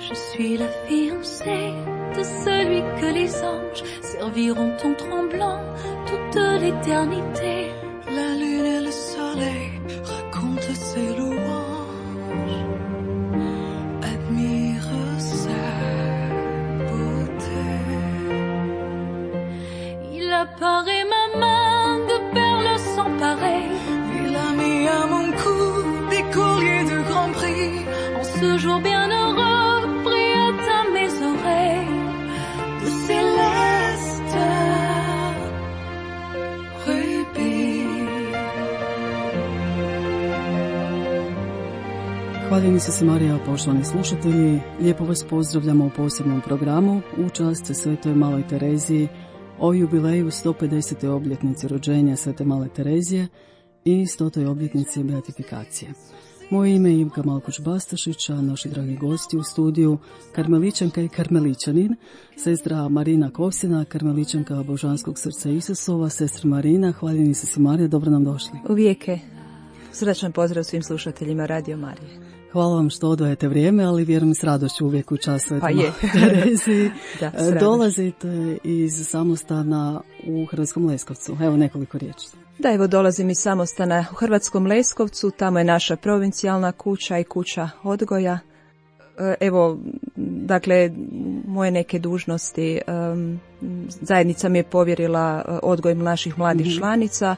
Je suis la fiancée de celui que les anges serviront en tremblant toute l'éternité. La lune et le soleil racontent ses louanges, admirent sa beauté. Il apparaît ma main de perles sans pareil. Il a mis à mon cou des colliers de grand prix. En ce jour bienheureux, brillent à mes oreilles de céleste rubis. Hvaljeni se Marija, poštovani slušatelji, lijepo vas pozdravljamo u posebnom programu u čast Svetoj Maloj Tereziji o jubileju 150. obljetnici rođenja Svete Male Terezije i 100. obljetnici beatifikacije. Moje ime je Ivka Malkuć-Bastašić, a naši dragi gosti u studiju karmeličanka i karmeličanin, sestra Marina Kovsina, karmeličanka Božanskog srca Isusova. Sestra Marina, hvaljeni se Marija, dobro nam došli. Uvijek je. Srdačan pozdrav svim slušateljima Radio Marije. Hvala vam što odvajate vrijeme, ali vjerujem s radošću uvijek u čas Svete Male Tereziji. Dolazite iz samostana u Hrvatskom Leskovcu. Evo nekoliko riječi. Da, evo dolazim iz samostana u Hrvatskom Leskovcu, tamo je naša provincijalna kuća i kuća odgoja. Evo, dakle, moje neke dužnosti, zajednica mi je povjerila odgoj naših mladih članica,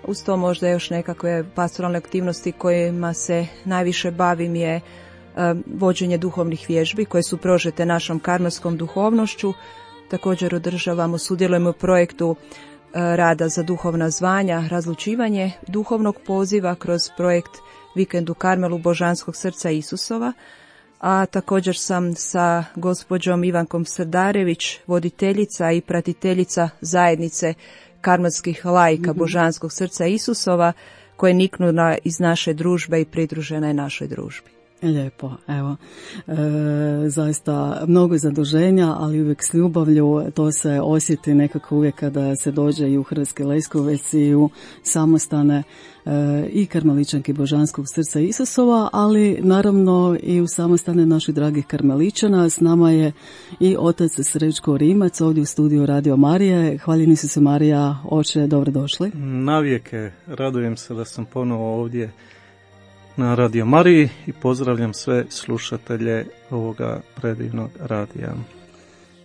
uz to možda još nekakve pastoralne aktivnosti kojima se najviše bavim je vođenje duhovnih vježbi koje su prožete našom karmelskom duhovnošću. Također održavamo, sudjelujemo u projektu rada za duhovna zvanja, razlučivanje duhovnog poziva kroz projekt Vikend u Karmelu Božanskog srca Isusova, a također sam sa gospođom Ivankom Srdarević, voditeljica i pratiteljica zajednice karmelskih laika Božanskog srca Isusova, koje niknu iz naše družbe i pridružena je našoj družbi. Lijepo, evo, zaista mnogo zaduženja, ali uvijek s ljubavlju. To se osjeti nekako uvijek kada se dođe i u Hrvatski Leskovec i u samostane i karmeličanki Božanskog srca Isusova, ali naravno i u samostane naših dragih karmeličana. S nama je i otac Srećko Rimac ovdje u studiju Radio Marije. Hvaljeni se Marija, oče, dobrodošli. Navijeke, radujem se da sam ponovo ovdje na Radio Mariji i pozdravljam sve slušatelje ovoga predivnog radija.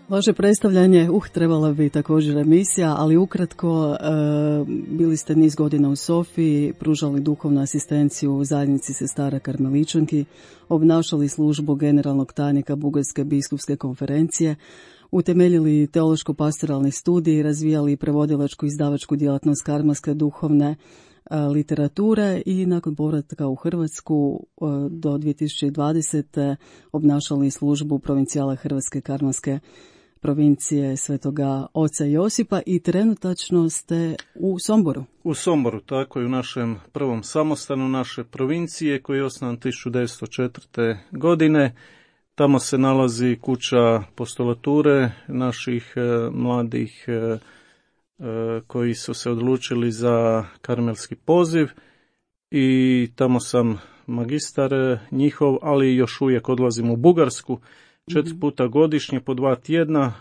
Vaše predstavljanje, trebala bi također emisija, ali ukratko, bili ste niz godina u Sofiji, pružali duhovnu asistenciju u zajednici sestara karmeličanki, obnašali službu generalnog tajnika Bugarske biskupske konferencije, utemeljili teološko-pastoralni studij, razvijali prevodilačku izdavačku djelatnost karmelske duhovne literature i nakon povratka u Hrvatsku do 2020. obnašali službu provincijala Hrvatske karmelske provincije Svetoga Oca Josipa i trenutačno ste u Somboru. U Somboru, tako i u našem prvom samostanu naše provincije koji je osnovan 1904. godine. Tamo se nalazi kuća apostolature naših mladih koji su se odlučili za karmelski poziv i tamo sam magistar njihov, ali još uvijek odlazim u Bugarsku 4 puta godišnje po 2 tjedna,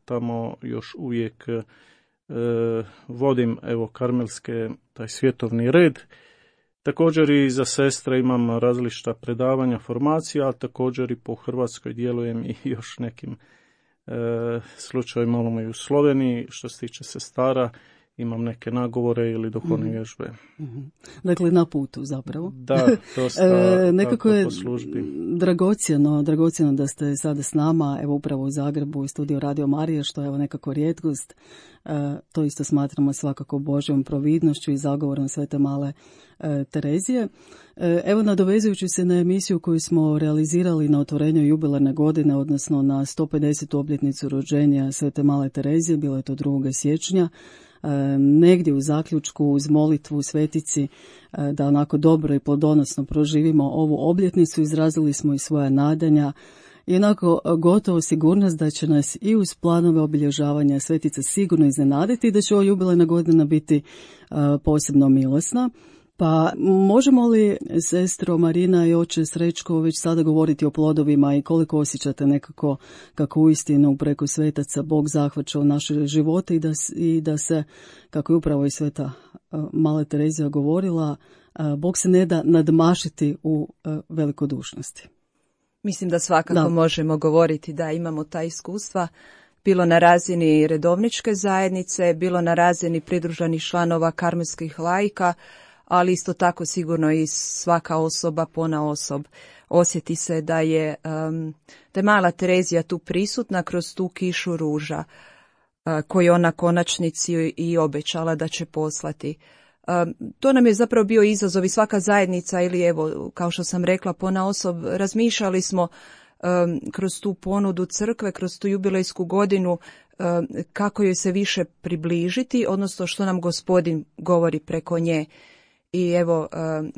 tamo još uvijek vodim evo karmelske taj svjetovni red. Također i za sestre imam različita predavanja, formacija, a također i po Hrvatskoj djelujem i još nekim slučaj malo i u Sloveniji. Što se tiče sestara, imam neke nagovore ili duhovne vježbe. Dakle, na putu zapravo. Da, dosta nekako je po službi. Dragocjeno da ste sada s nama, evo upravo u Zagrebu i studiju Radio Marije, što je evo nekako rijetkost. To isto smatramo svakako Božjom providnošću i zagovorom Svete Male Terezije. Evo, nadovezujući se na emisiju koju smo realizirali na otvorenju jubilarne godine, odnosno na 150. obljetnicu rođenja Svete Male Terezije, bilo je to 2. siječnja, negdje u zaključku uz molitvu svetici da onako dobro i plodonosno proživimo ovu obljetnicu, izrazili smo i svoja nadanja i onako gotovo sigurnost da će nas i uz planove obilježavanja svetica sigurno iznenaditi i da će ova jubilarna godina biti posebno milosna. Pa možemo li, sestro Marina i oče Srećko, već sada govoriti o plodovima i koliko osjećate nekako kako uistinu preko svetaca Bog zahvaća u naše živote i da se, kako je upravo i sveta Mala Terezija govorila, Bog se ne da nadmašiti u velikodušnosti? Mislim da svakako možemo govoriti da imamo ta iskustva, bilo na razini redovničke zajednice, bilo na razini pridruženih članova karmelskih laika, ali isto tako sigurno i svaka osoba ponaosob osjeti se da je Mala Terezija tu prisutna kroz tu kišu ruža koju ona konačnici i obećala da će poslati. To nam je zapravo bio izazov i svaka zajednica ili evo, kao što sam rekla, ponaosob razmišljali smo kroz tu ponudu crkve, kroz tu jubilejsku godinu, kako joj se više približiti, odnosno što nam Gospodin govori preko nje. I evo,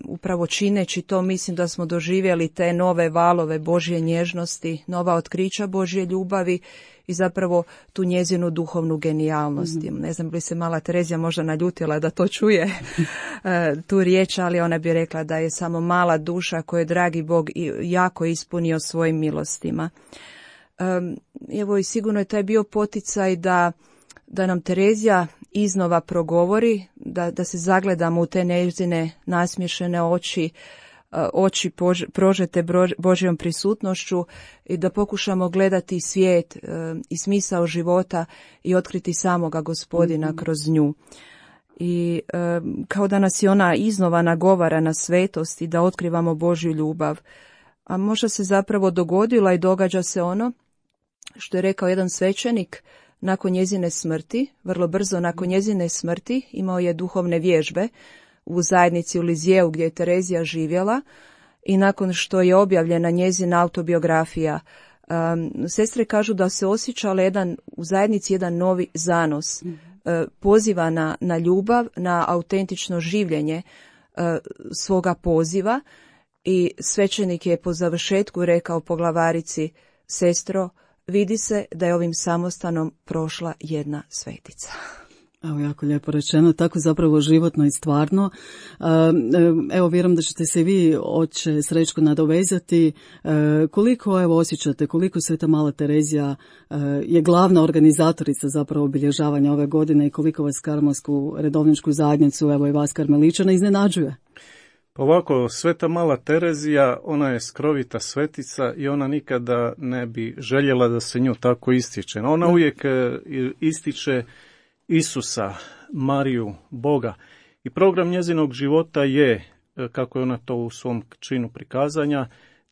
upravo čineći to, mislim da smo doživjeli te nove valove Božje nježnosti, nova otkrića Božje ljubavi i zapravo tu njezinu duhovnu genijalnost. Ne znam bi se Mala Terezija možda naljutila da to čuje tu riječ, ali ona bi rekla da je samo mala duša koju je dragi Bog jako ispunio svojim milostima. Evo i sigurno je taj bio poticaj da nam Terezija iznova progovori, da se zagledamo u te njezine nasmiješene oči prožete Božjom prisutnošću i da pokušamo gledati svijet i smisao života i otkriti samoga Gospodina kroz nju. I kao da nas je ona iznova nagovara na svetost i da otkrivamo Božju ljubav. A možda se zapravo dogodila i događa se ono što je rekao jedan svećenik. Nakon njezine smrti, vrlo brzo nakon njezine smrti, imao je duhovne vježbe u zajednici u Lizijeu gdje je Terezija živjela i nakon što je objavljena njezina autobiografija, sestre kažu da se osjećala u zajednici jedan novi zanos, poziva na ljubav, na autentično življenje svoga poziva i svećenik je po završetku rekao poglavarici: sestro, vidi se da je ovim samostanom prošla jedna svetica. Evo, jako lijepo rečeno, tako zapravo životno i stvarno. Evo, vjerujem da ćete se vi, oče Srećko, nadovezati. Koliko osjećate, koliko Sveta Mala Terezija je glavna organizatorica zapravo obilježavanja ove godine i koliko vas karmelsku redovničku zajednicu, evo i vas karmeličana, iznenađuje? Pa ovako, Sveta Mala Terezija, ona je skrovita svetica i ona nikada ne bi željela da se nju tako ističe. Ona uvijek ističe Isusa, Mariju, Boga. I program njezinog života je, kako je ona to u svom činu prikazanja,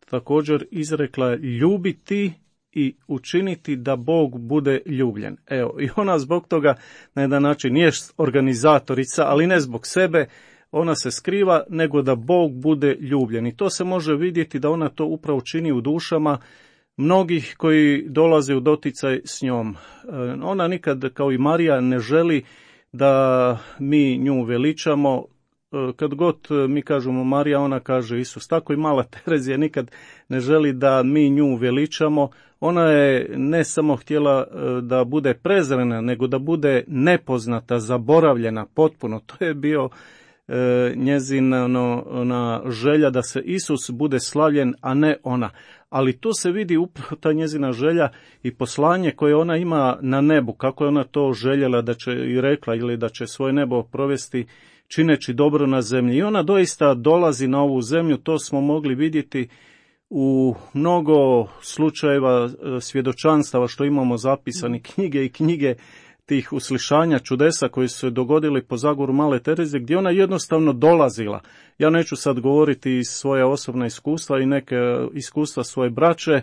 također izrekla ljubiti i učiniti da Bog bude ljubljen. Evo, i ona zbog toga na jedan način nije organizatorica, ali ne zbog sebe, ona se skriva, nego da Bog bude ljubljen. I to se može vidjeti da ona to upravo čini u dušama mnogih koji dolaze u doticaj s njom. Ona nikad, kao i Marija, ne želi da mi nju veličamo. Kad god mi kažemo Marija, ona kaže Isus. Tako i Mala Terezija nikad ne želi da mi nju veličamo. Ona je ne samo htjela da bude prezrena, nego da bude nepoznata, zaboravljena potpuno. To je bio njezina želja da se Isus bude slavljen, a ne ona. Ali tu se vidi upravo ta njezina želja i poslanje koje ona ima na nebu, kako je ona to željela da će i rekla ili da će svoje nebo provesti čineći dobro na zemlji. I ona doista dolazi na ovu zemlju, to smo mogli vidjeti u mnogo slučajeva svjedočanstava što imamo zapisani, knjige i knjige tih uslišanja čudesa koji su se dogodili po zagovoru Male Terezije, gdje ona jednostavno dolazila. Ja neću sad govoriti iz svoja osobna iskustva i neke iskustva svoje braće,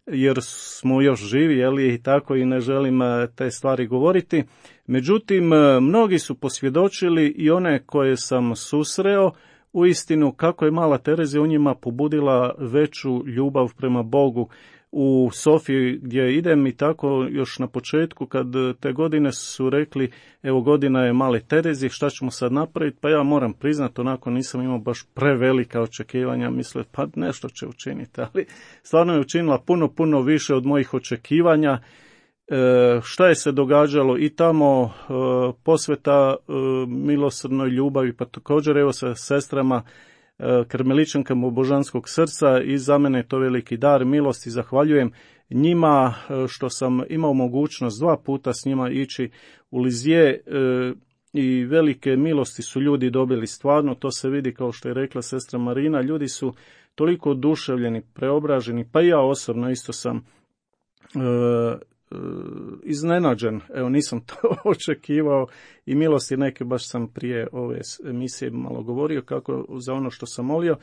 jer smo još živi, i tako, i ne želim te stvari govoriti. Međutim, mnogi su posvjedočili i one koje sam susreo, uistinu kako je Mala Terezija u njima pobudila veću ljubav prema Bogu. U Sofiji gdje idem i tako još na početku, kad te godine su rekli, evo godina je Male Terezije, šta ćemo sad napraviti? Pa ja moram priznati, onako nisam imao baš prevelika očekivanja, mislio pa nešto će učiniti, ali stvarno je učinila puno više od mojih očekivanja šta je se događalo i tamo, posveta milosrdnoj ljubavi, pa također evo sa sestrama karmeličankama Božanskog srca, i za mene je to veliki dar milosti. Zahvaljujem njima što sam imao mogućnost 2 puta s njima ići u Lizije, i velike milosti su ljudi dobili stvarno. To se vidi, kao što je rekla sestra Marina, ljudi su toliko oduševljeni, preobraženi, pa i ja osobno isto sam iznenađen. Evo, nisam to očekivao, i milosti neke, baš sam prije ove emisije malo govorio kako za ono što sam molio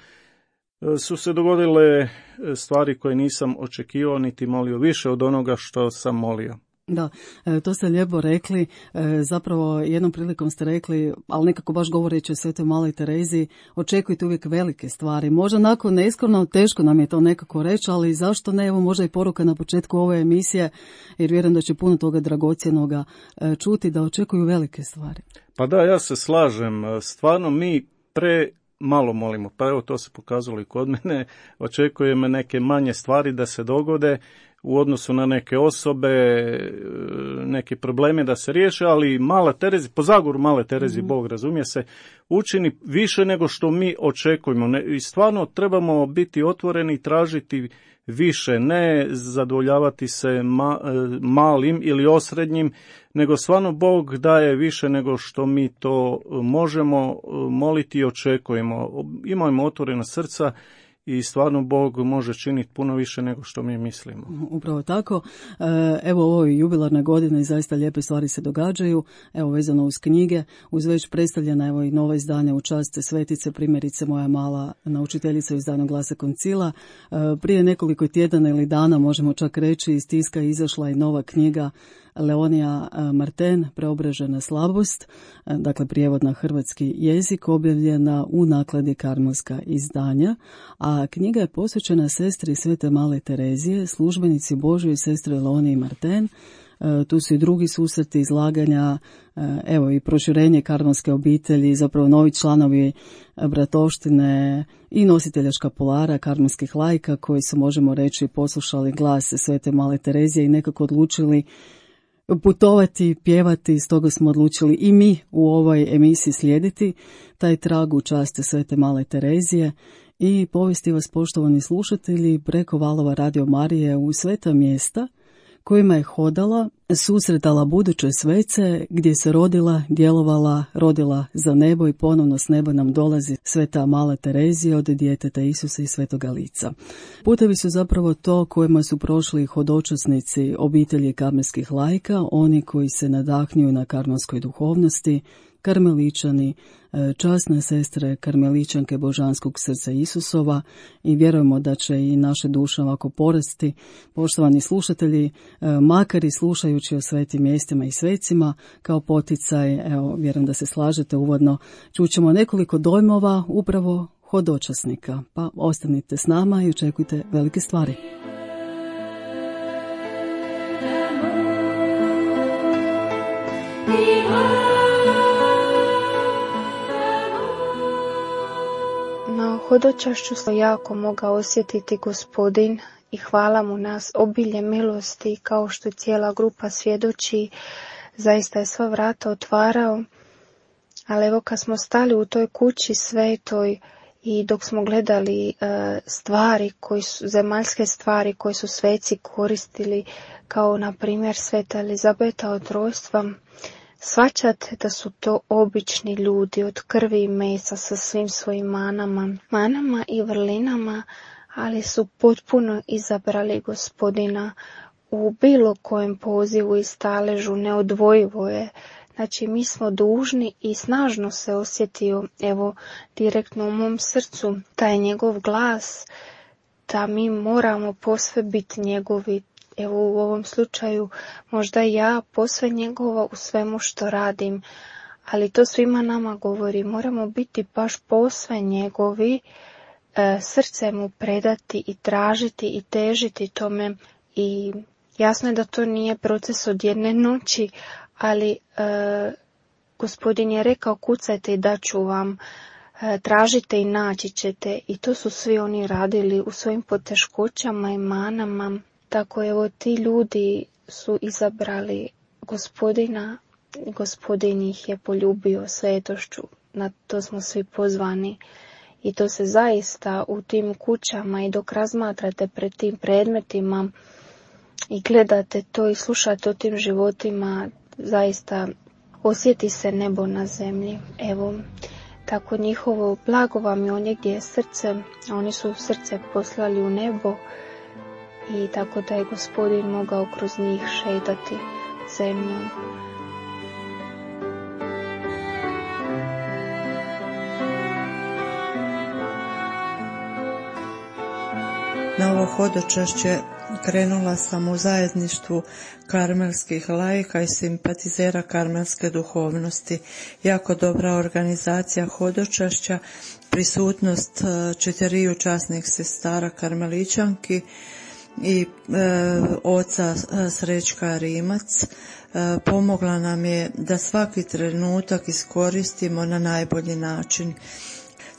su se dogodile stvari koje nisam očekivao niti molio, više od onoga što sam molio. Da, to ste lijepo rekli, zapravo jednom prilikom ste rekli, ali nekako baš govoreći o Svetoj Maloj Tereziji, očekujte uvijek velike stvari. Možda onako neiskreno, teško nam je to nekako reći, ali zašto ne, evo možda i poruka na početku ove emisije, jer vjerujem da će puno toga dragocjenoga čuti, da očekuju velike stvari. Pa da, ja se slažem, stvarno mi malo molimo, pa evo to se pokazalo i kod mene, očekujem neke manje stvari da se dogode u odnosu na neke osobe, neke probleme da se riješe, ali Mala Terezi, po zagoru Male Terezi, Bog razumije se, učini više nego što mi očekujemo. I stvarno trebamo biti otvoreni i tražiti više, ne zadovoljavati se malim ili osrednjim, nego stvarno Bog daje više nego što mi to možemo moliti i očekujemo. Imajmo otvorena srca i stvarno Bog može činiti puno više nego što mi mislimo. Upravo tako. Evo, ovo je jubilarna godina i zaista lijepe stvari se događaju. Evo, vezano uz knjige, uz već predstavljena evo i nova izdanja u čast Svetice, primjerice Moja mala naučiteljica u izdanju Glasa Koncila. Prije nekoliko tjedana ili dana, možemo čak reći, iz tiska je izašla i nova knjiga Leonija Marten, Preobražena slabost, dakle prijevod na hrvatski jezik, objavljena u nakladi Karmelska izdanja, a knjiga je posvećena sestri Svete Male Terezije, službenici Božjoj, sestri Leoniji Marten. Tu su i drugi susreti, izlaganja, evo i proširenje karmelske obitelji, zapravo novi članovi bratovštine i nositelja škapulara karmelskih laika koji su, možemo reći, poslušali glas Svete Male Terezije i nekako odlučili putovati, pjevati. Stoga smo odlučili i mi u ovoj emisiji slijediti taj trag u čast Svete Male Terezije i povesti vas, poštovani slušatelji, preko valova Radio Marije u sveta mjesta kojima je hodala, susretala buduće svece, gdje se rodila, djelovala, rodila za nebo i ponovno s neba nam dolazi Sveta Mala Terezija od djeteta Isusa i Svetoga lica. Putevi su zapravo to kojima su prošli hodočasnici obitelji karmelskih laika, oni koji se nadahnjuju na karmelskoj duhovnosti, karmeličani, časne sestre karmeličanke Božanskog srca Isusova, i vjerujemo da će i naše duše ovako porasti. Poštovani slušatelji, makar i slušajući o svetim mjestima i svecima, kao poticaj, evo, vjerujem da se slažete uvodno, čućemo nekoliko dojmova upravo hodočasnika, pa ostanite s nama i očekujte velike stvari. Na hodočašću sam jako mogao osjetiti Gospodin i hvala mu nas obilje milosti, kao što cijela grupa svjedoči, zaista je sva vrata otvarao. Ali evo, kad smo stali u toj kući svetoj i dok smo gledali stvari, zemaljske stvari koje su sveci koristili, kao na primjer Sveta Elizabeta od rojstva, shvaćate da su to obični ljudi od krvi i mesa sa svim svojim manama i vrlinama, ali su potpuno izabrali Gospodina u bilo kojem pozivu i staležu, neodvojivo je. Znači, mi smo dužni i snažno se osjetio, evo, direktno u mom srcu, taj njegov glas, da mi moramo posve biti njegovi. Evo, u ovom slučaju možda ja posve njegova u svemu što radim, ali to svima nama govori, moramo biti baš posve njegovi, srce mu predati i tražiti i težiti tome. I jasno je da to nije proces od jedne noći, ali Gospodin je rekao, kucajte i daću vam, tražite i naći ćete, i to su svi oni radili u svojim poteškoćama i manama. Tako evo, ti ljudi su izabrali Gospodina, Gospodin ih je poljubio svetošću, na to smo svi pozvani. I to se zaista u tim kućama i dok razmatrate pred tim predmetima i gledate to i slušate o tim životima, zaista osjeti se nebo na zemlji. Evo, tako njihovo blago vam je ondje gdje je srce, a oni su srce poslali u nebo i tako da je Gospodin mogao kroz njih šetati zemljom. Na ovo hodočašće krenula sam u zajedništvu karmelskih laika i simpatizera karmelske duhovnosti. Jako dobra organizacija hodočašća, prisutnost 4 časnih sestara karmeličanki i oca Srećka Rimac pomogla nam je da svaki trenutak iskoristimo na najbolji način.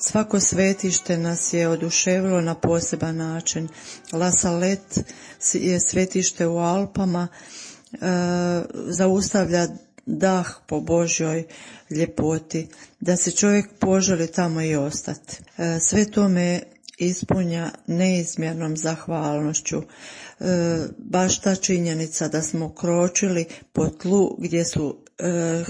Svako svetište nas je oduševilo na poseban način. La Salette je svetište u Alpama, zaustavlja dah po Božjoj ljepoti, da se čovjek poželi tamo i ostati. Sve to me ispunja neizmjernom zahvalnošću. Baš ta činjenica da smo kročili po tlu gdje su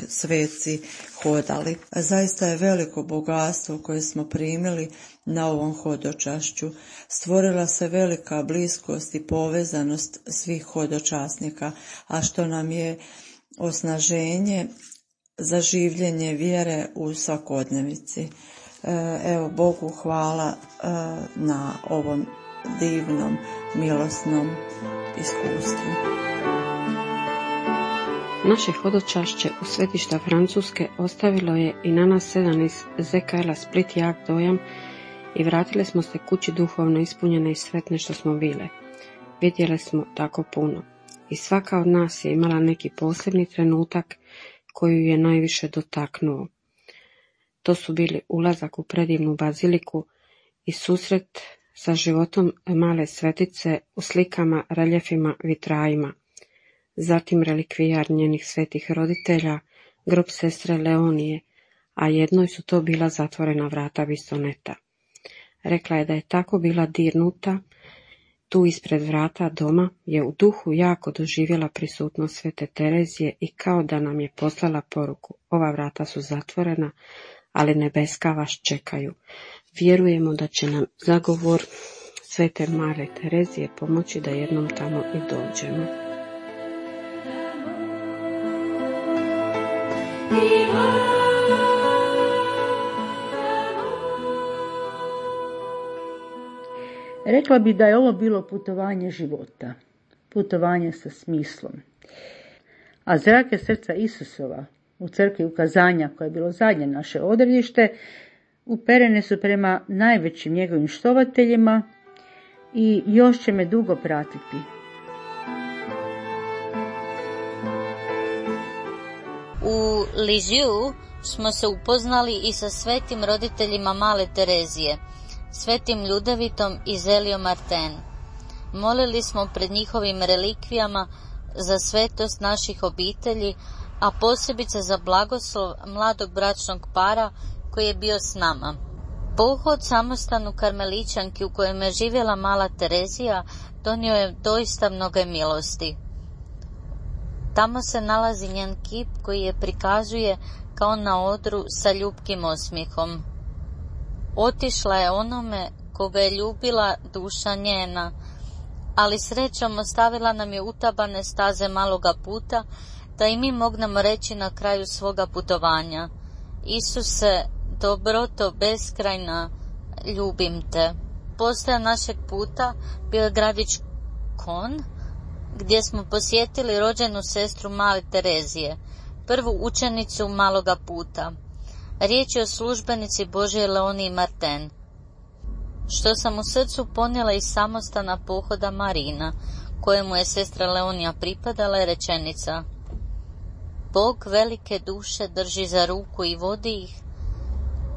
sveci hodali. Zaista je veliko bogatstvo koje smo primili na ovom hodočašću. Stvorila se velika bliskost i povezanost svih hodočasnika, a što nam je osnaženje za življenje vjere u svakodnevici. Evo, Bogu hvala na ovom divnom, milosnom iskustvu. Naše hodočašće u svetišta Francuske ostavilo je i na nas 7 iz ZKL-a Split jak dojam i vratili smo se kući duhovno ispunjene i sretne što smo bile. Vidjeli smo tako puno i svaka od nas je imala neki posebni trenutak koji ju je najviše dotaknuo. To su bili ulazak u predivnu baziliku i susret sa životom male svetice u slikama, reljefima, vitrajima. Zatim relikvijar njenih svetih roditelja, grob sestre Leonije, a jednoj su to bila zatvorena vrata Bisoneta. Rekla je da je tako bila dirnuta, tu ispred vrata doma je u duhu jako doživjela prisutnost svete Terezije i kao da nam je poslala poruku: ova vrata su zatvorena, ali nebeska vas čekaju. Vjerujemo da će nam zagovor svete male Terezije pomoći da jednom tamo i dođemo. Rekla bi da je ovo bilo putovanje života, putovanje sa smislom. A zrake srca Isusova u crkvi ukazanja, koje je bilo zadnje naše odredište, uperene su prema najvećim njegovim štovateljima i još će me dugo pratiti. U Lisieux smo se upoznali i sa svetim roditeljima male Terezije, svetim Ljudevitom i Zelio Martin. Molili smo pred njihovim relikvijama za svetost naših obitelji, a posebice za blagoslov mladog bračnog para koji je bio s nama. Pohod samostanu karmeličanki u kojem je živjela mala Terezija donio je doista mnoge milosti. Tamo se nalazi njen kip koji je prikazuje kao na odru sa ljubkim osmijehom. Otišla je onome koga je ljubila duša njena, ali srećom ostavila nam je utabane staze maloga puta, da i mi mognemo reći na kraju svoga putovanja: Isuse, dobroto beskrajna, ljubim te. Postaja našeg puta bio je gradić Kon, gdje smo posjetili rođenu sestru male Terezije, prvu učenicu maloga puta. Riječ je o službenici Božje Leoniji Martin. Što sam u srcu ponijela iz samostana pohoda Marina, kojemu je sestra Leonija pripadala, je rečenica: Bog velike duše drži za ruku i vodi ih,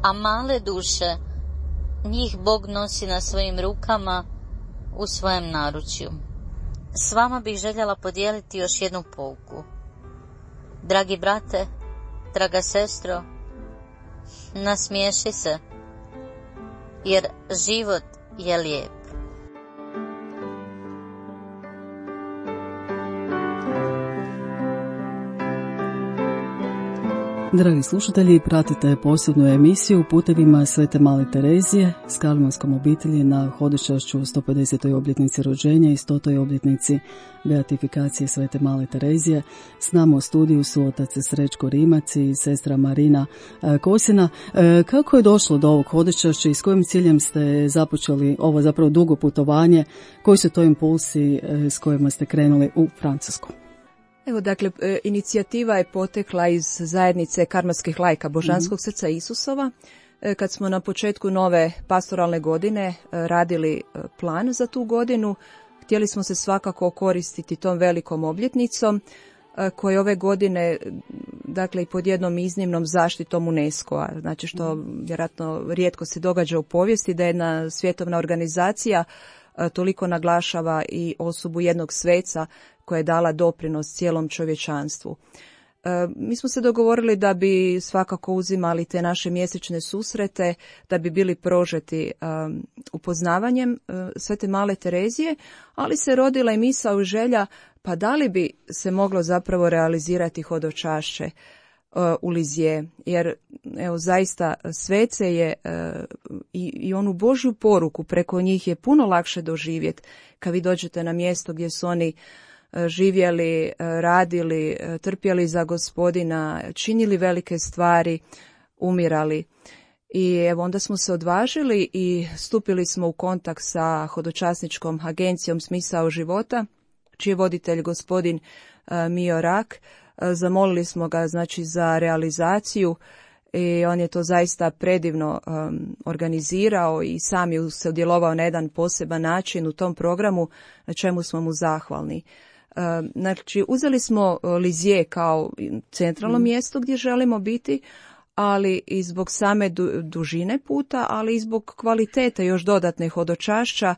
a male duše, njih Bog nosi na svojim rukama u svojem naručju. S vama bih željela podijeliti još jednu pouku. Dragi brate, draga sestro, nasmiješi se, jer život je lijep. Dragi slušatelji, pratite posebnu emisiju Putevima Svete Male Terezije s Karmelskom obitelji na hodočašću 150. obljetnici rođenja i 100. obljetnici beatifikacije Svete Male Terezije. S nama u studiju su otac Srećko Rimac i sestra Marina Kosina. Kako je došlo do ovog hodočašća i s kojim ciljem ste započeli ovo zapravo dugo putovanje? Koji su to impulsi s kojima ste krenuli u Francusku? Evo, dakle, inicijativa je potekla iz zajednice karmelskih laika Božanskog srca Isusova. Kad smo na početku nove pastoralne godine radili plan za tu godinu, htjeli smo se svakako koristiti tom velikom obljetnicom koje ove godine, dakle, i pod jednom iznimnom zaštitom UNESCO-a, znači što vjerojatno rijetko se događa u povijesti, da jedna svjetovna organizacija toliko naglašava i osobu jednog sveca koja je dala doprinos cijelom čovječanstvu. Mi smo se dogovorili da bi svakako uzimali te naše mjesečne susrete, da bi bili prožeti upoznavanjem Svete Male Terezije, ali se rodila i misao i želja, pa da li bi se moglo zapravo realizirati hodočašće u Lizije, jer evo zaista svece je i onu Božju poruku preko njih je puno lakše doživjeti kad vi dođete na mjesto gdje su oni živjeli, radili, trpjeli za Gospodina, činili velike stvari, umirali. I evo onda smo se odvažili i stupili smo u kontakt sa hodočasničkom agencijom Smisao života, čiji je voditelj gospodin Mio Rak. Zamolili smo ga znači za realizaciju i on je to zaista predivno organizirao i sam je se udjelovao na jedan poseban način u tom programu, na čemu smo mu zahvalni. Znači, uzeli smo Lizije kao centralno mjesto gdje želimo biti, ali i zbog same dužine puta, ali i zbog kvalitete još dodatne hodočašća,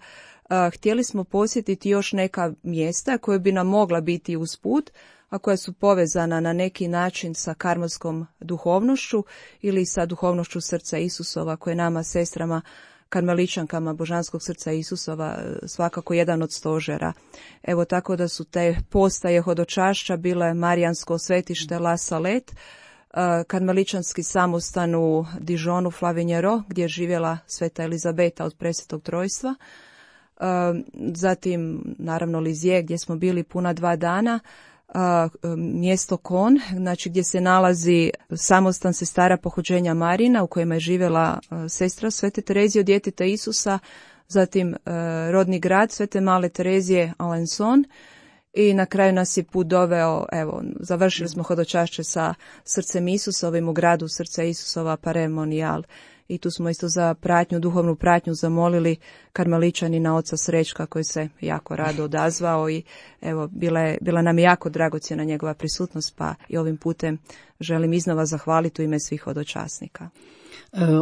htjeli smo posjetiti još neka mjesta koje bi nam mogla biti uz put, a koja su povezana na neki način sa karmelskom duhovnošću ili sa duhovnošću srca Isusova, koje nama, sestrama, karmeličankama Božanskog srca Isusova, svakako jedan od stožera. Evo tako da su te postaje hodočašća bile Marijansko svetište La Salette, karmeličanski samostan u Dijonu Flavinjero, gdje je živjela Sveta Elizabeta od Presvetog Trojstva, zatim naravno Lizije gdje smo bili puna 2 dana, mjesto Kon, znači gdje se nalazi samostan sestara pohođenja Marina u kojima je živjela sestra Svete Terezije od djeteta Isusa, zatim rodni grad Svete Male Terezije Alençon i na kraju nas je put doveo, evo, završili smo hodočašće sa srcem Isusovim u gradu srca Isusova Paremonial. I tu smo isto za pratnju, duhovnu pratnju zamolili karmeličanina oca Srećka koji se jako rado odazvao i evo bila nam je jako dragocjena njegova prisutnost, pa i ovim putem želim iznova zahvaliti u ime svih hodočasnika.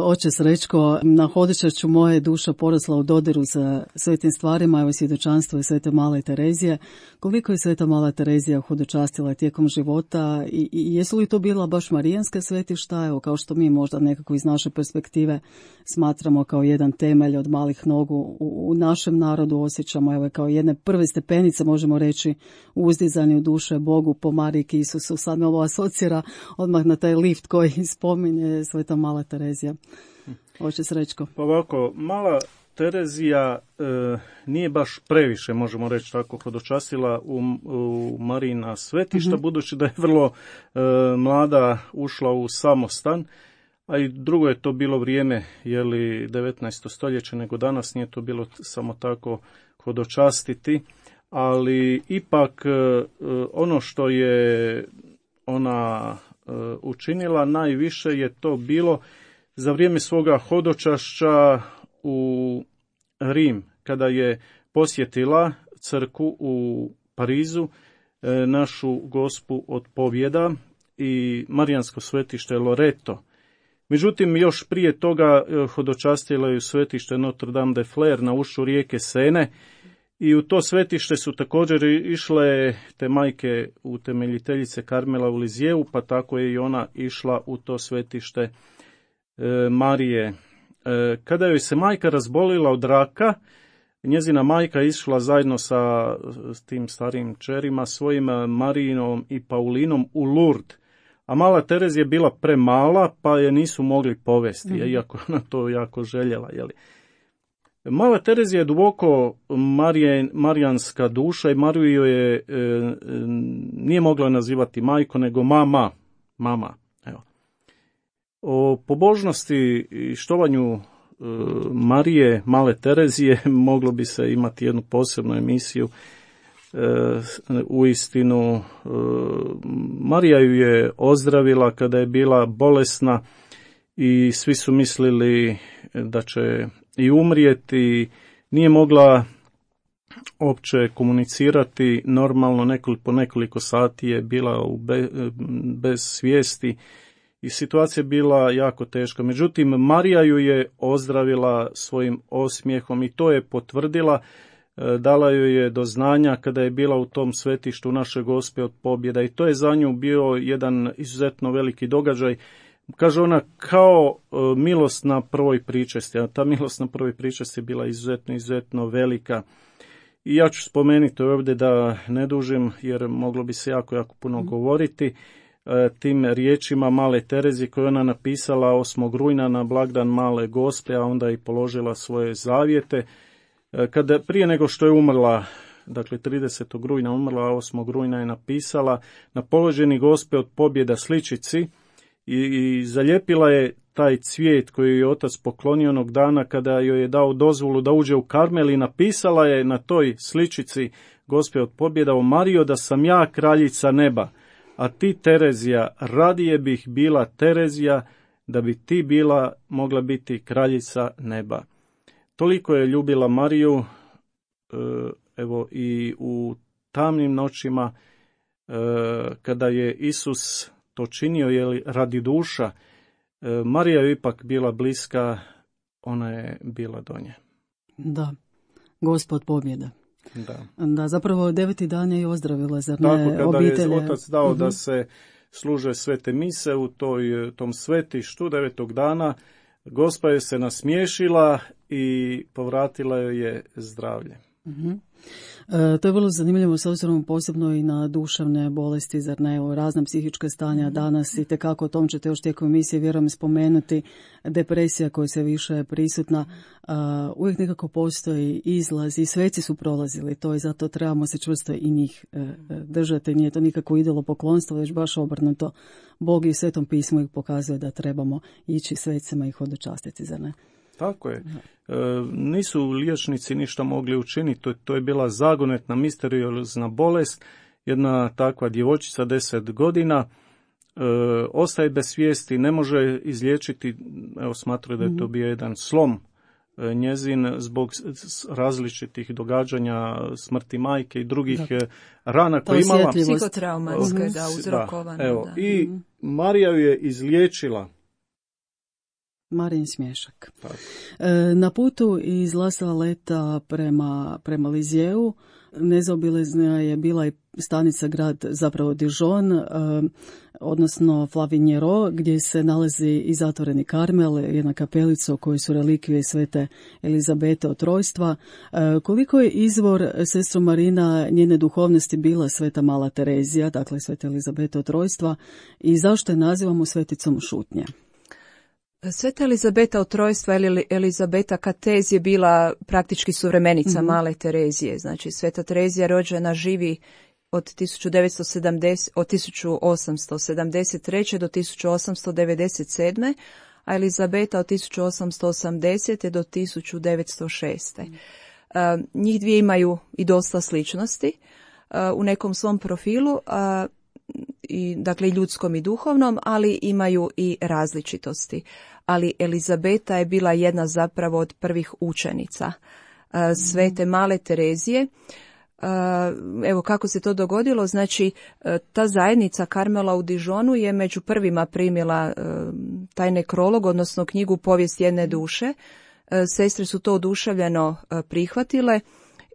Oče Srećko, na hodočašću moja je duša porasla u dodiru sa svetim stvarima, evo svjedočanstvo je Svete Male Terezije. Koliko je Sveta Mala Terezija hodočastila tijekom života i jesu li to bila baš marijanska svetišta, evo kao što mi možda nekako iz naše perspektive smatramo kao jedan temelj od malih nogu u našem narodu, osjećamo evo kao jedne prve stepenice, možemo reći, u uzdizanju duše Bogu po Mariji Isusu. Sad me ovo asocira odmah na taj lift koji spominje Sveta Mala Terezija. Oče Srećko. Pa ovako, Mala Terezija nije baš previše, možemo reći tako, hodočastila u Marijina svetišta, budući da je vrlo mlada ušla u samostan, a i drugo je to bilo vrijeme, 19. stoljeće, nego danas nije to bilo samo tako hodočastiti, ali ipak ono što je ona učinila najviše je to bilo za vrijeme svoga hodočašća u Rim, kada je posjetila crkvu u Parizu, našu Gospu od pobjeda i marijansko svetište Loreto. Međutim, još prije toga hodočastila je svetište Notre Dame de Flers na ušću rijeke Sene I u to svetište su također išle te majke utemeljiteljice Karmela u Lizijevu, pa tako je i ona išla u to svetište Marije. Kada joj se majka razbolila od raka, njezina majka išla zajedno sa tim starim čerima, svojim Marijinom i Paulinom u Lurd. A mala Terezija je bila premala, pa je nisu mogli povesti, iako ona to jako željela. Jeli. Mala Terezija je duboko marijanska duša i Mariju je nije mogla nazivati majko, nego mama. Evo. O pobožnosti i štovanju Marije, male Terezije, moglo bi se imati jednu posebnu emisiju. Uistinu, Marija ju je ozdravila kada je bila bolesna i svi su mislili da će i umrijeti. Nije mogla uopće komunicirati normalno, po nekoliko sati je bila bez svijesti i situacija je bila jako teška. Međutim, Marija ju je ozdravila svojim osmijehom i to je potvrdila, dala joj je do znanja kada je bila u tom svetištu Naše Gospe od pobjeda i to je za nju bio jedan izuzetno veliki događaj. Kaže ona, kao milost na prvoj pričesti, a ta milost na prvoj pričesti je bila izuzetno velika. I ja ću spomenuti ovdje da ne dužim, jer moglo bi se jako puno govoriti, tim riječima male Terezije koje ona napisala 8. rujna na blagdan Male Gospe, a onda i položila svoje zavjete. Prije nego što je umrla, dakle 30. rujna umrla, 8. rujna je napisala na položeni Gospe od pobjeda sličici i zalijepila je taj cvijet koji je otac poklonio onog dana kada joj je dao dozvolu da uđe u Karmel i napisala je na toj sličici Gospe od pobjeda: o Marijo, da sam ja kraljica neba, a ti Terezija, radije bih bila Terezija da bi ti mogla biti kraljica neba. Toliko je ljubila Mariju, evo i u tamnim noćima kada je Isus to činio radi duša, Marija je ipak bila bliska, ona je bila do nje. Da, Gospod pobjeda. Da, zapravo 9. dan je i ozdravila, zar ne, obitelje? Tako, kada je otac dao da se služe svete mise u tom svetištu 9. dana, Gospa je se nasmiješila i povratila joj je zdravlje. To je vrlo zanimljivo s obzirom posebno i na duševne bolesti, zar ne, o razna psihička stanja danas i tekako o tom ćete još tijekom emisije vjerujem spomenuti, depresija koja se više prisutna, uvijek nekako postoji izlaz i sveci su prolazili to i zato trebamo se čvrsto i njih držati, nije to nikako idolopoklonstvo, već baš obrnuto. Bog i u Svetom pismu ih pokazuje da trebamo ići svecima i hodočastiti, zar ne? Tako je. Nisu liječnici ništa mogli učiniti. To je bila zagonetna, misteriozna bolest. Jedna takva djevojčica 10 godina ostaje bez svijesti, ne može izliječiti. Evo, smatraju da je to bio jedan slom njezin zbog različitih događanja, smrti majke i drugih rana koje imala. Psihotraumatska, uzrokovana. I Marija ju je izliječila. Marijin smješak. Na putu iz La Saleta prema Lizijevu nezaobilazna je bila i stanica grad, zapravo Dijon, odnosno Flavinjero, gdje se nalazi i zatvoreni Karmel, jedna kapelica u kojoj su relikvije svete Elizabete od Trojstva. Koliko je izvor, sestro Marina, njene duhovnosti bila sveta mala Terezija, dakle sveta Elizabete od Trojstva, i zašto je nazivamo sveticom šutnje? Sveta Elizabeta od Trojstva ili Elizabeta Katez je bila praktički suvremenica male Terezije. Znači, sveta Terezija rođena živi od 1873. do 1897. a Elizabeta od 1880. do 1906. Njih dvije imaju i dosta sličnosti u nekom svom profilu, dakle i ljudskom i duhovnom, ali imaju i različitosti. Ali Elizabeta je bila jedna zapravo od prvih učenica svete male Terezije. Evo kako se to dogodilo, znači ta zajednica Karmela u Dijonu je među prvima primila taj nekrolog, odnosno knjigu Povijest jedne duše. Sestre su to oduševljeno prihvatile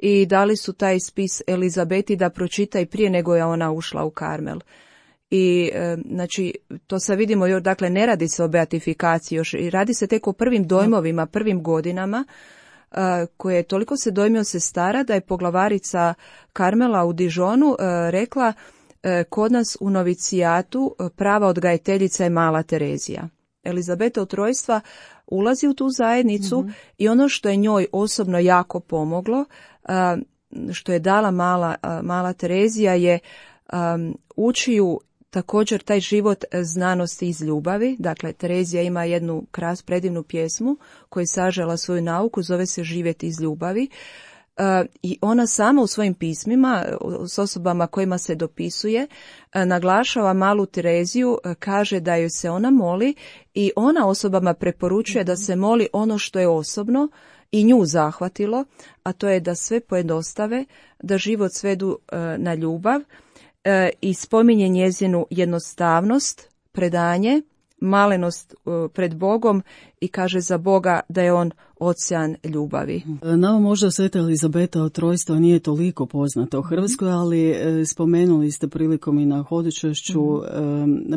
i dali su taj spis Elizabeti da pročita i prije nego je ona ušla u Karmel. I znači to sad vidimo, još, dakle ne radi se o beatifikaciji još, radi se tek o prvim dojmovima, prvim godinama, koje toliko se dojmio sestara da je poglavarica Karmela u Dijonu rekla, kod nas u novicijatu prava odgajateljica je mala Terezija. Elizabeta od Trojstva ulazi u tu zajednicu i ono što je njoj osobno jako pomoglo, što je dala mala Terezija, je uči ju također taj život znanosti iz ljubavi. Dakle, Terezija ima jednu predivnu pjesmu koju je sažela svoju nauku, zove se Živjeti iz ljubavi. I ona sama u svojim pismima s osobama kojima se dopisuje naglašava malu Tereziju, kaže da joj se ona moli i ona osobama preporučuje da se moli ono što je osobno i nju zahvatilo, a to je da sve pojednostave, da život svedu na ljubav i spominje njezinu jednostavnost, predanje, malenost pred Bogom i kaže za Boga da je on ocean ljubavi. Nama možda Sveta Elizabeta od Trojstva nije toliko poznata u Hrvatskoj, ali spomenuli ste prilikom i na hodočašću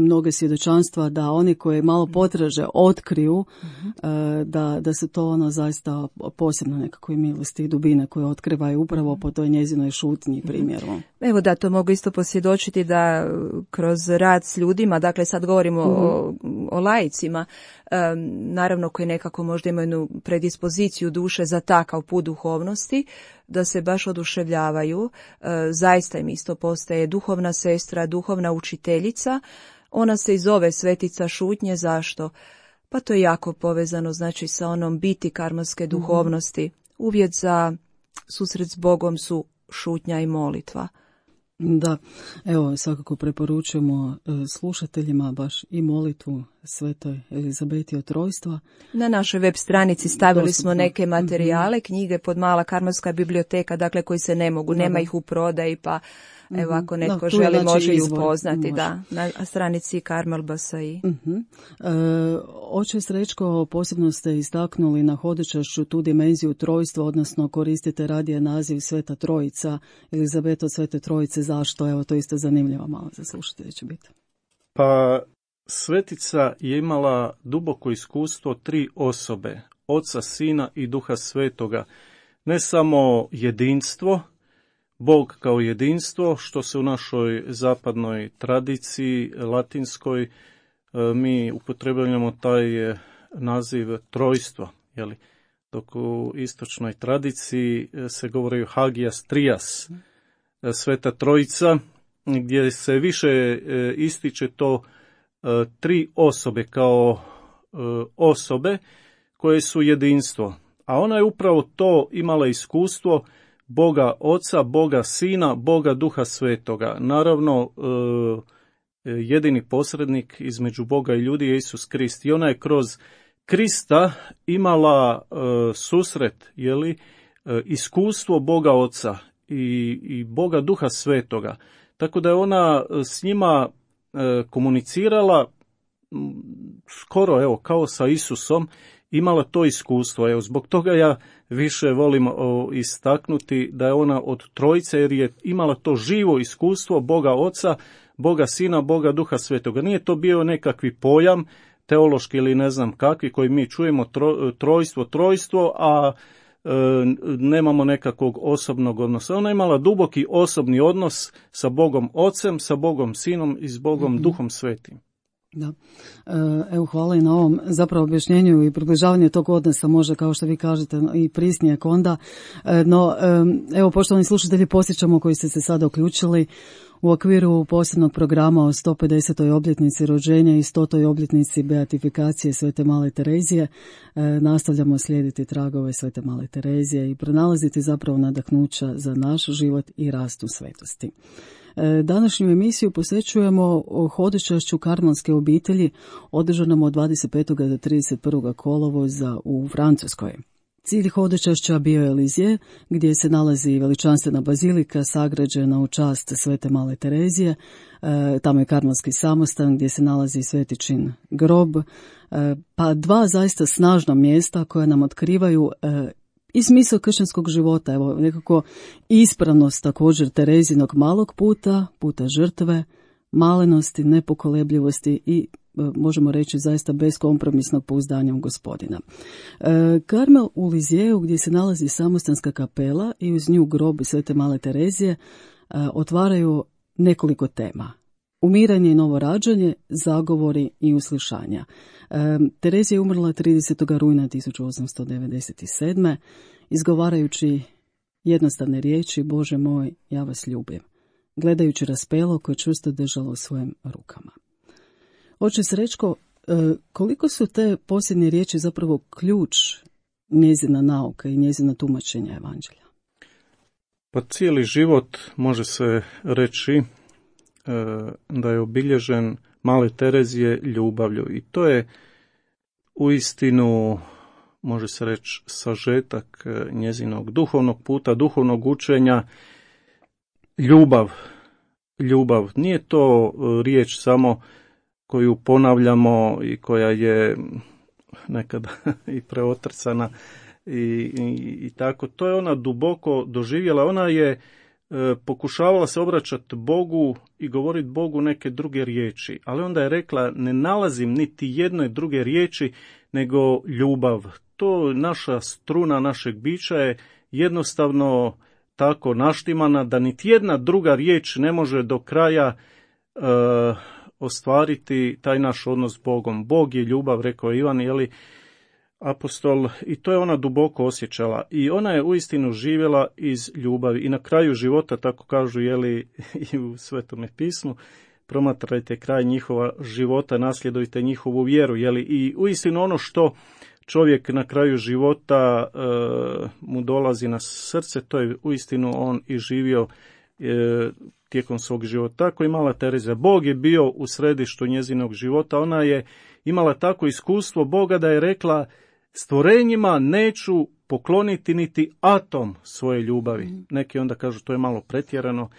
mnoge svjedočanstva da oni koji malo potraže otkriju da se to ono zaista posebno nekakve milosti i dubine koje otkrivaju upravo po toj njezinoj šutnji primjeru. Evo da, to mogu isto posvjedočiti da kroz rad s ljudima, dakle sad govorimo o laicima, naravno koji nekako možda imaju jednu predispoziciju duše za takav put duhovnosti, da se baš oduševljavaju. Zaista im isto postaje duhovna sestra, duhovna učiteljica. Ona se i zove Svetica šutnje. Zašto? Pa to je jako povezano znači sa onom biti karmelske duhovnosti. Uvjet za susret s Bogom su šutnja i molitva. Da, evo svakako preporučujemo slušateljima baš i molitvu Svetoj Elizabeti od Trojstva. Na našoj web stranici stavili smo neke materijale, knjige pod Mala karmelska biblioteka, dakle koji se ne mogu, nema ih u prodaji, pa evo ako netko želi može ispoznati, da, na stranici Karmel BSI. Oče Srećko, posebno ste istaknuli na hodočašću tu dimenziju trojstva, odnosno koristite radije naziv Sveta Trojica, Elizabeta od Svete Trojice. Zašto? Evo, to isto zanimljivo malo za slušatelje će biti. Pa Svetica je imala duboko iskustvo 3 osobe, Oca, Sina i Duha Svetoga. Ne samo jedinstvo, Bog kao jedinstvo, što se u našoj zapadnoj tradiciji, latinskoj, mi upotrebljavamo taj naziv trojstvo, jeli? Dok u istočnoj tradiciji se govori Hagias Trias, Sveta Trojica, gdje se više ističe to 3 osobe kao osobe koje su jedinstvo. A ona je upravo to imala iskustvo Boga Oca, Boga Sina, Boga Duha Svetoga. Naravno, jedini posrednik između Boga i ljudi je Isus Krist. I ona je kroz Krista imala susret, iskustvo Boga Oca i Boga Duha Svetoga. Tako da je ona s njima komunicirala skoro kao sa Isusom, imala to iskustvo. Zbog toga ja više volim istaknuti da je ona od Trojice, jer je imala to živo iskustvo Boga Oca, Boga Sina, Boga Duha Svetoga. Nije to bio nekakvi pojam teološki ili ne znam kakvi koji mi čujemo trojstvo, a nemamo nekakvog osobnog odnosa. Ona je imala duboki osobni odnos sa Bogom Ocem, sa Bogom Sinom i s Bogom Duhom Svetim. Da. Evo, hvala i na ovom zapravo objašnjenju i približavanju tog odnosa, može, kao što vi kažete, i prisnijek onda. No, evo, poštovani slušatelji, posjećamo koji ste se sada uključili u okviru posebnog programa o 150. obljetnici rođenja i 100. obljetnici beatifikacije Svete Male Terezije. Nastavljamo slijediti tragove Svete Male Terezije i pronalaziti zapravo nadahnuća za naš život i rast u svetosti. Današnju emisiju posvećujemo hodočašću karmelske obitelji održanom od 25. do 31. kolovoza u Francuskoj. Cilj hodočašća bio je Lizije, gdje se nalazi veličanstvena bazilika sagrađena u čast Svete Male Terezije. Tamo je karmelski samostan gdje se nalazi Svetičin grob, pa 2 zaista snažna mjesta koja nam otkrivaju i smisao kršćanskog života. Evo, nekako ispravnost također Terezinog malog puta, puta žrtve, malenosti, nepokolebljivosti i možemo reći zaista beskompromisnog pouzdanja u Gospodina. Karmel u Lizjeu, gdje se nalazi samostanska kapela i uz nju grob Svete Male Terezije, otvaraju nekoliko tema. Umiranje i novorađanje, zagovori i uslišanja. Terezija je umrla 30. rujna 1897. izgovarajući jednostavne riječi: Bože moj, ja vas ljubim, gledajući raspelo koje čvrsto držalo u svojim rukama. Oče Srećko, koliko su te posljednje riječi zapravo ključ njezina nauka i njezina tumačenja evanđelja? Pa cijeli život može se reći da je obilježen Male Terezije ljubavlju i to je uistinu, može se reći, sažetak njezinog duhovnog puta, duhovnog učenja. Ljubav. Nije to riječ samo koju ponavljamo i koja je nekada i preotrcana i tako. To je ona duboko doživjela. Ona je pokušavala se obraćati Bogu i govoriti Bogu neke druge riječi, ali onda je rekla: ne nalazim niti jedne druge riječi nego ljubav. To naša struna našeg bića je jednostavno tako naštimana da niti jedna druga riječ ne može do kraja ostvariti taj naš odnos s Bogom. Bog je ljubav, rekao Ivan, apostol, i to je ona duboko osjećala i ona je uistinu živjela iz ljubavi i na kraju života, tako kažu i u Svetome pismu, promatrajte kraj njihova života, nasljedujte njihovu vjeru, i uistinu ono što čovjek na kraju života mu dolazi na srce, to je uistinu on i živio tijekom svog života. Tako i Mala Terezija. Bog je bio u središtu njezinog života. Ona je imala tako iskustvo Boga da je rekla: stvorenjima neću pokloniti niti atom svoje ljubavi. Neki onda kažu to je malo pretjerano,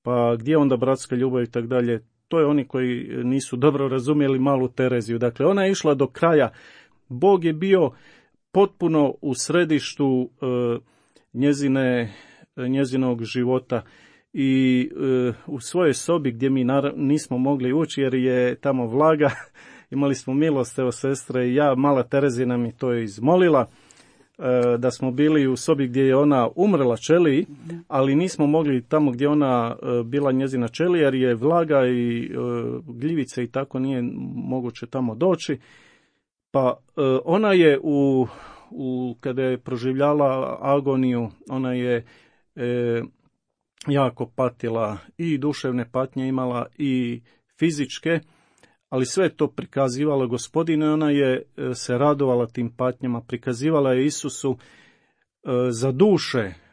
pa gdje onda bratska ljubav i tako dalje. To je oni koji nisu dobro razumjeli Malu Tereziju. Dakle, ona je išla do kraja. Bog je bio potpuno u središtu njezinog života i u svojoj sobi gdje mi nismo mogli ući jer je tamo vlaga, imali smo milost, evo sestre i ja, Mala Terezija mi to je izmolila, da smo bili u sobi gdje je ona umrla ćeliji, ali nismo mogli tamo gdje ona bila njezina ćelija jer je vlaga i gljivice i tako nije moguće tamo doći. Pa ona je kada je proživljala agoniju, ona je jako patila i duševne patnje imala i fizičke, ali sve to prikazivala Gospodinu i ona je se radovala tim patnjama, prikazivala je Isusu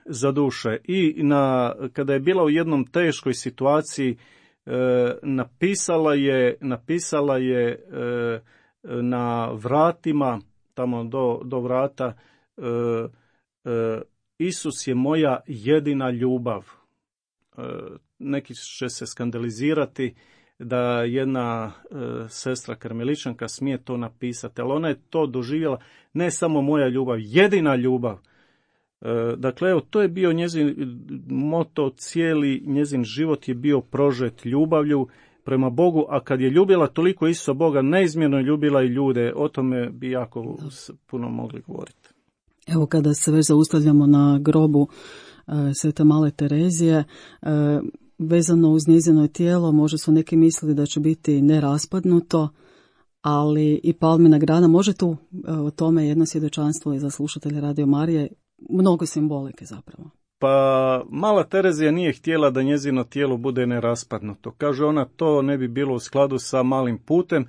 za duše. I kada je bila u jednom teškoj situaciji, napisala je na vratima, tamo do vrata, Isus je moja jedina ljubav. Neki će se skandalizirati da jedna sestra karmeličanka smije to napisati, ali ona je to doživjela, ne samo moja ljubav, jedina ljubav. Dakle, evo, to je bio njezin moto, cijeli njezin život je bio prožet ljubavlju prema Bogu, a kad je ljubila toliko Isusa Boga, neizmjerno je ljubila i ljude. O tome bi jako puno mogli govoriti. Evo, kada se već zaustavljamo na grobu Svete Male Terezije, vezano uz njezino tijelo, možda su neki mislili da će biti neraspadnuto, ali i palmina grana. Može tu o tome jedno svjedočanstvo i za slušatelje Radio Marije, mnogo simbolike zapravo. Pa Mala Terezija nije htjela da njezino tijelo bude neraspadnuto. Kaže ona, to ne bi bilo u skladu sa malim putem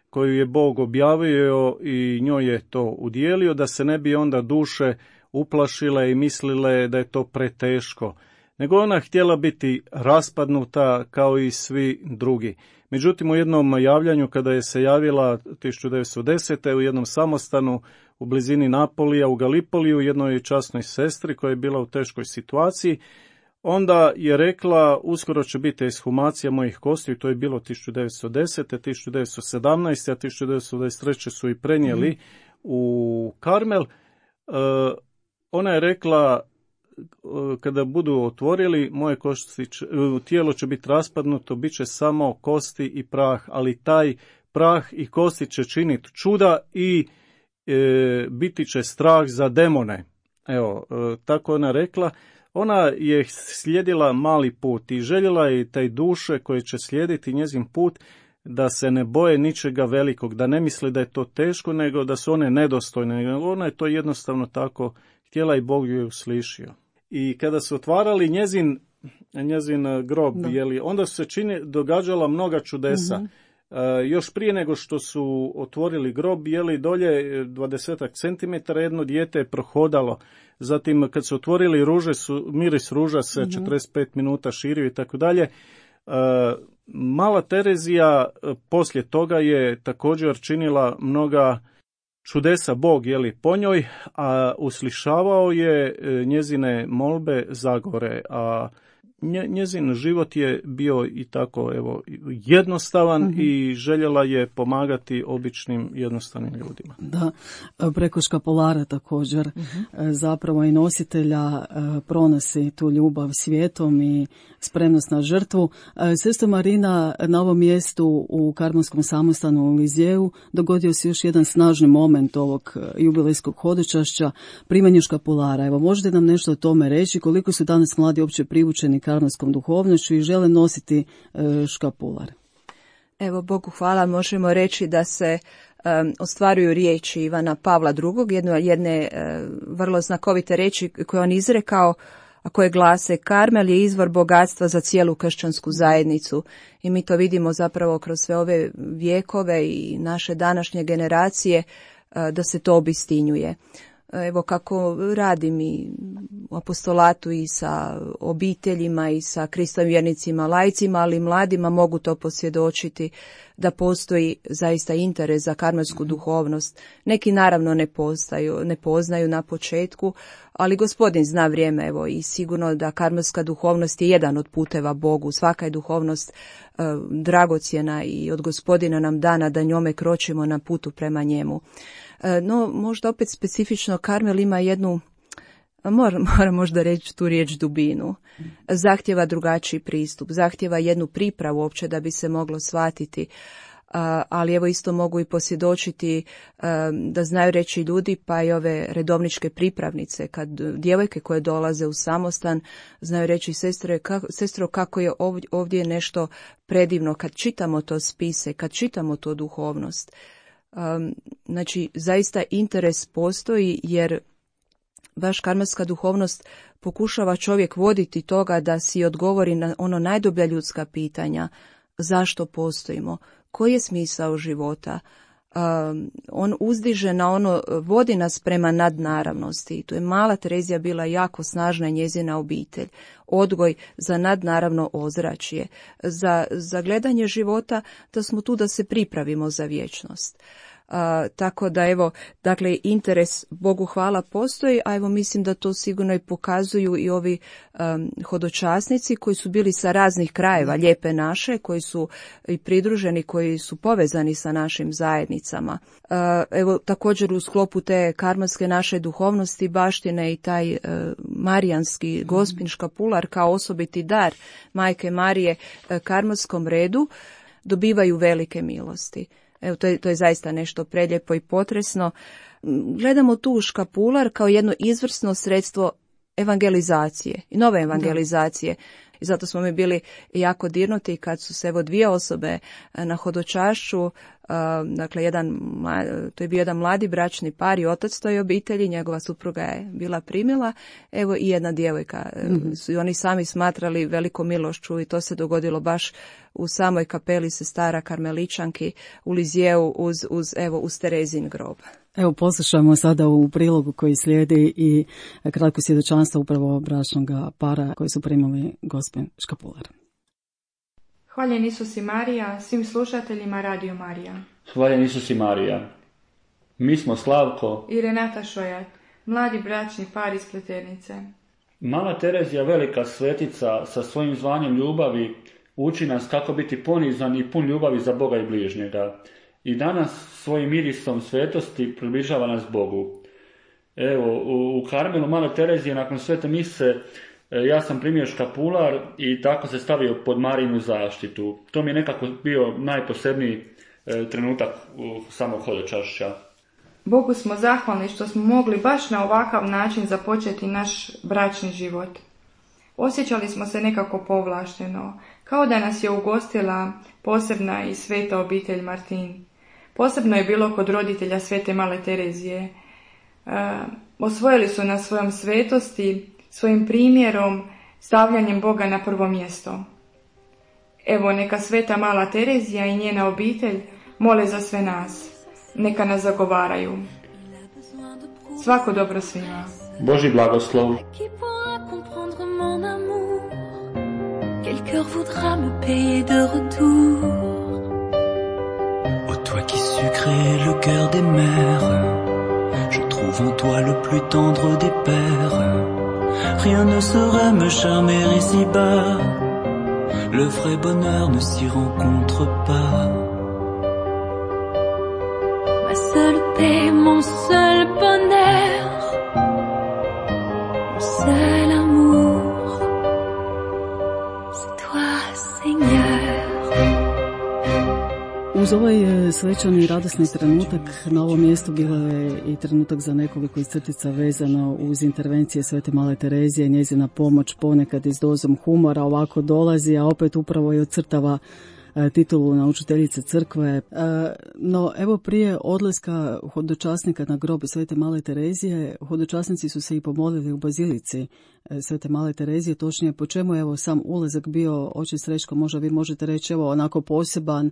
koju je Bog objavio i njoj je to udjelio, da se ne bi onda duše uplašile i mislile da je to preteško. Nego ona htjela biti raspadnuta kao i svi drugi. Međutim, u jednom javljanju kada je se javila 1910. u jednom samostanu u blizini Napolija u Galipoliju, jednoj časnoj sestri koja je bila u teškoj situaciji, onda je rekla: uskoro će biti ekshumacija mojih kostiju. To je bilo 1910. 1917. a 1923. su i prenijeli u Karmel. ona je rekla, kada budu otvorili, moje tijelo će biti raspadnuto, bit će samo kosti i prah, ali taj prah i kosti će činiti čuda i biti će strah za demone. Evo, tako ona rekla. Ona je slijedila mali put i željela je taj duše koje će slijediti njezin put da se ne boje ničega velikog, da ne misle da je to teško, nego da su one nedostojne. Ona je to jednostavno tako htjela i Bog ju je uslišio. I kada su otvarali njezin grob, onda se događala mnoga čudesa. Mhm. Još prije nego što su otvorili grob, dolje 20 cm jedno dijete je prohodalo. Zatim kad su otvorili ruže, miris ruža se 45 minuta širio i tako dalje. Mala Terezija poslije toga je također činila mnoga čudesa Bog, po njoj, a uslišavao je njezine molbe zagore, a njezin život je bio i tako jednostavan i željela je pomagati običnim jednostavnim ljudima. Da, preko škapulara također zapravo i nositelja pronosi tu ljubav svijetom i spremnost na žrtvu. Sestra Marina, na ovom mjestu u Karmelskom samostanu u Lizjeu dogodio se još jedan snažni moment ovog jubilejskog hodočašća, primanje škapulara. Evo, možete nam nešto o tome reći, koliko su danas mladi uopće privučeni karmelskom duhovnošću i žele nositi škapular? Evo, Bogu hvala, možemo reći da se ostvaruju riječi Ivana Pavla II, jedne vrlo znakovite riječi koje on izrekao, a koje glase: Karmel je izvor bogatstva za cijelu kršćansku zajednicu. I mi to vidimo zapravo kroz sve ove vjekove i naše današnje generacije, da se to obistinjuje. Evo, kako radim i u apostolatu i sa obiteljima i sa Kristovim vjernicima, laicima, ali i mladima, mogu to posvjedočiti da postoji zaista interes za karmelsku duhovnost. Neki naravno ne poznaju na početku, ali Gospodin zna vrijeme, evo, i sigurno da karmelska duhovnost je jedan od puteva Bogu. Svaka je duhovnost dragocjena i od Gospodina nam dana da njome kročimo na putu prema njemu. No, možda opet specifično Karmel ima jednu, moram možda reći tu riječ, dubinu. Zahtjeva drugačiji pristup, zahtjeva jednu pripravu uopće da bi se moglo shvatiti. Ali evo isto mogu i posvjedočiti da znaju reći ljudi, pa i ove redovničke pripravnice, kad djevojke koje dolaze u samostan znaju reći: sestro, kako je ovdje nešto predivno kad čitamo to spise, kad čitamo to duhovnost. Znači, zaista interes postoji, jer baš karmelska duhovnost pokušava čovjek voditi toga da si odgovori na ono najdublja ljudska pitanja: zašto postojimo, koji je smisao života. On uzdiže na ono, vodi nas prema nadnaravnosti. I tu je mala Terezija bila jako snažna, njezina obitelj. Odgoj za nadnaravno ozračje, za gledanje života, da smo tu da se pripravimo za vječnost. Tako da evo, dakle, interes, Bogu hvala, postoji, a evo mislim da to sigurno i pokazuju i ovi hodočasnici koji su bili sa raznih krajeva Lijepe naše, koji su i pridruženi, koji su povezani sa našim zajednicama. Evo, također u sklopu te karmelske naše duhovnosti baštine i taj marijanski gospin škapular kao osobiti dar Majke Marije karmelskom redu, dobivaju velike milosti. Evo, to je zaista nešto prelijepo i potresno. Gledamo tu škapular kao jedno izvrsno sredstvo evangelizacije i nove evangelizacije. I zato smo mi bili jako dirnuti kad su se evo dvije osobe na hodočašću, dakle to je bio jedan mladi bračni par i otac toj obitelji, njegova supruga je bila primila, evo i jedna djevojka. Su i oni sami smatrali velikom milošću i to se dogodilo baš u samoj kapeli sestara karmeličanki u Lizjeu uz Terezin grob. Evo, poslušamo sada u prilogu koji slijedi i kratko svjedočanstvo upravo bračnog para koji su primili gospin škapular. Hvaljen Isus i Marija, svim slušateljima Radio Marija. Hvaljen Isus i Marija. Mi smo Slavko i Renata Šojat, mladi bračni par iz Pleternice. Mala Terezija, velika svetica, sa svojim zvanjem ljubavi uči nas kako biti ponizan i pun ljubavi za Boga i bližnjega. I danas svojim mirisom svetosti približava nas Bogu. Evo, u Karmelu Male Terezije nakon svete mise ja sam primio škapular i tako se stavio pod Marinu zaštitu. To mi je nekako bio najposebniji trenutak samog hodočašća. Bogu smo zahvalni što smo mogli baš na ovakav način započeti naš bračni život. Osjećali smo se nekako povlašteno, kao da nas je ugostila posebna i sveta obitelj Martin. Posebno je bilo kod roditelja svete Male Terezije. Osvojili su nas svojom svetosti, svojim primjerom, stavljanjem Boga na prvo mjesto. Evo, neka sveta Mala Terezija i njena obitelj mole za sve nas. Neka nas zagovaraju. Svako dobro svima. Boži blagoslov. Quel cœur voudra me payer de retour? Ô toi qui sucrais le cœur des mères, je trouve en toi le plus tendre des pères. Rien ne saurait me charmer ici-bas, le vrai bonheur ne s'y rencontre pas. Ma seule paix, mon seul bonheur, mon seul amour, c'est toi, Seigneur. Uz ovaj svečani i radosni trenutak na ovom mjestu bilo je i trenutak za nekoliko iz crtica vezano uz intervencije svete Male Terezije, njezina pomoć ponekad i s dozom humora ovako dolazi, a opet upravo i ocrtava titulu naučiteljice crkve. No evo, prije odlaska hodočasnika na grob svete Male Terezije, hodočasnici su se i pomolili u bazilici svete Male Terezije, točnije po čemu evo sam ulazak bio, oče Srećko, možda vi možete reći, evo onako poseban.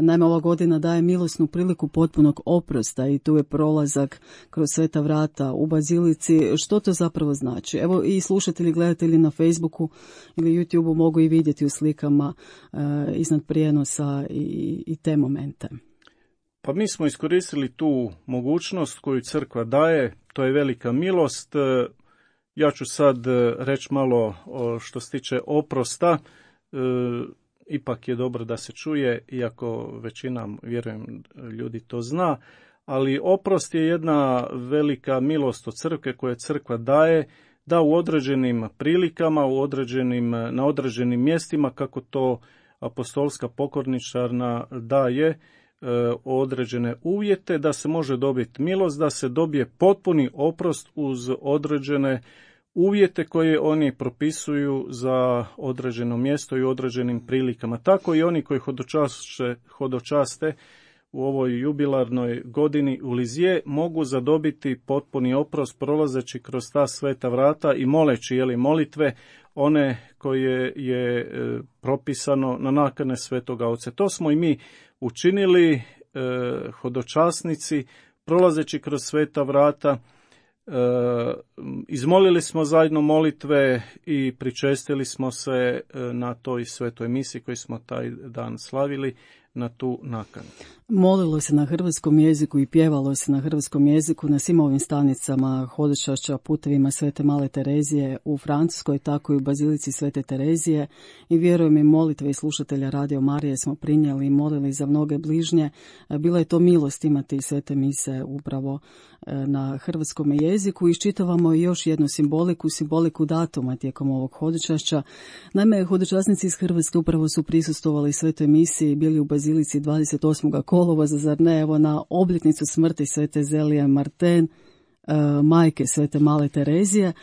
Naime, ova godina daje milosnu priliku potpunog oprosta i tu je prolazak kroz sveta vrata u bazilici. Što to zapravo znači? Evo i slušatelji, gledatelji na Facebooku ili YouTubeu mogu i vidjeti u slikama iznad prijenosa i te momente. Pa mi smo iskoristili tu mogućnost koju crkva daje, to je velika milost. Ja ću sad reći malo što se tiče oprosta, ipak je dobro da se čuje, iako većina, vjerujem, ljudi to zna, ali oprost je jedna velika milost od crkve koje crkva daje, da u određenim prilikama, na određenim mjestima, kako to apostolska pokorničarna daje određene uvjete, da se može dobiti milost, da se dobije potpuni oprost uz određene uvjete koje oni propisuju za određeno mjesto i određenim prilikama. Tako i oni koji hodočaste u ovoj jubilarnoj godini u Lizije mogu zadobiti potpuni oprost prolazeći kroz ta sveta vrata i moleći molitve one koje je propisano na nakane Svetoga Oca. To smo i mi učinili, hodočasnici, prolazeći kroz sveta vrata. Izmolili smo zajedno molitve i pričestili smo se na toj svetoj misi koju smo taj dan slavili na tu nakanu. Molilo se na hrvatskom jeziku i pjevalo se na hrvatskom jeziku na svim ovim stanicama hodočašća putevima svete Male Terezije u Francuskoj, tako i u bazilici svete Terezije, i vjerujem i molitve i slušatelja Radio Marije smo prinijeli i molili za mnoge bližnje. Bila je to milost imati svete mise upravo na hrvatskom jeziku. Iščitavamo i još jednu simboliku datuma tijekom ovog hodočašća. Naime, hodočasnici iz Hrvatske upravo su prisustvovali svetoj misiji, bili u bazilici 28. kolovoza, zar ne, evo na obljetnicu smrti svete Zelije Marten, majke svete Male Terezije.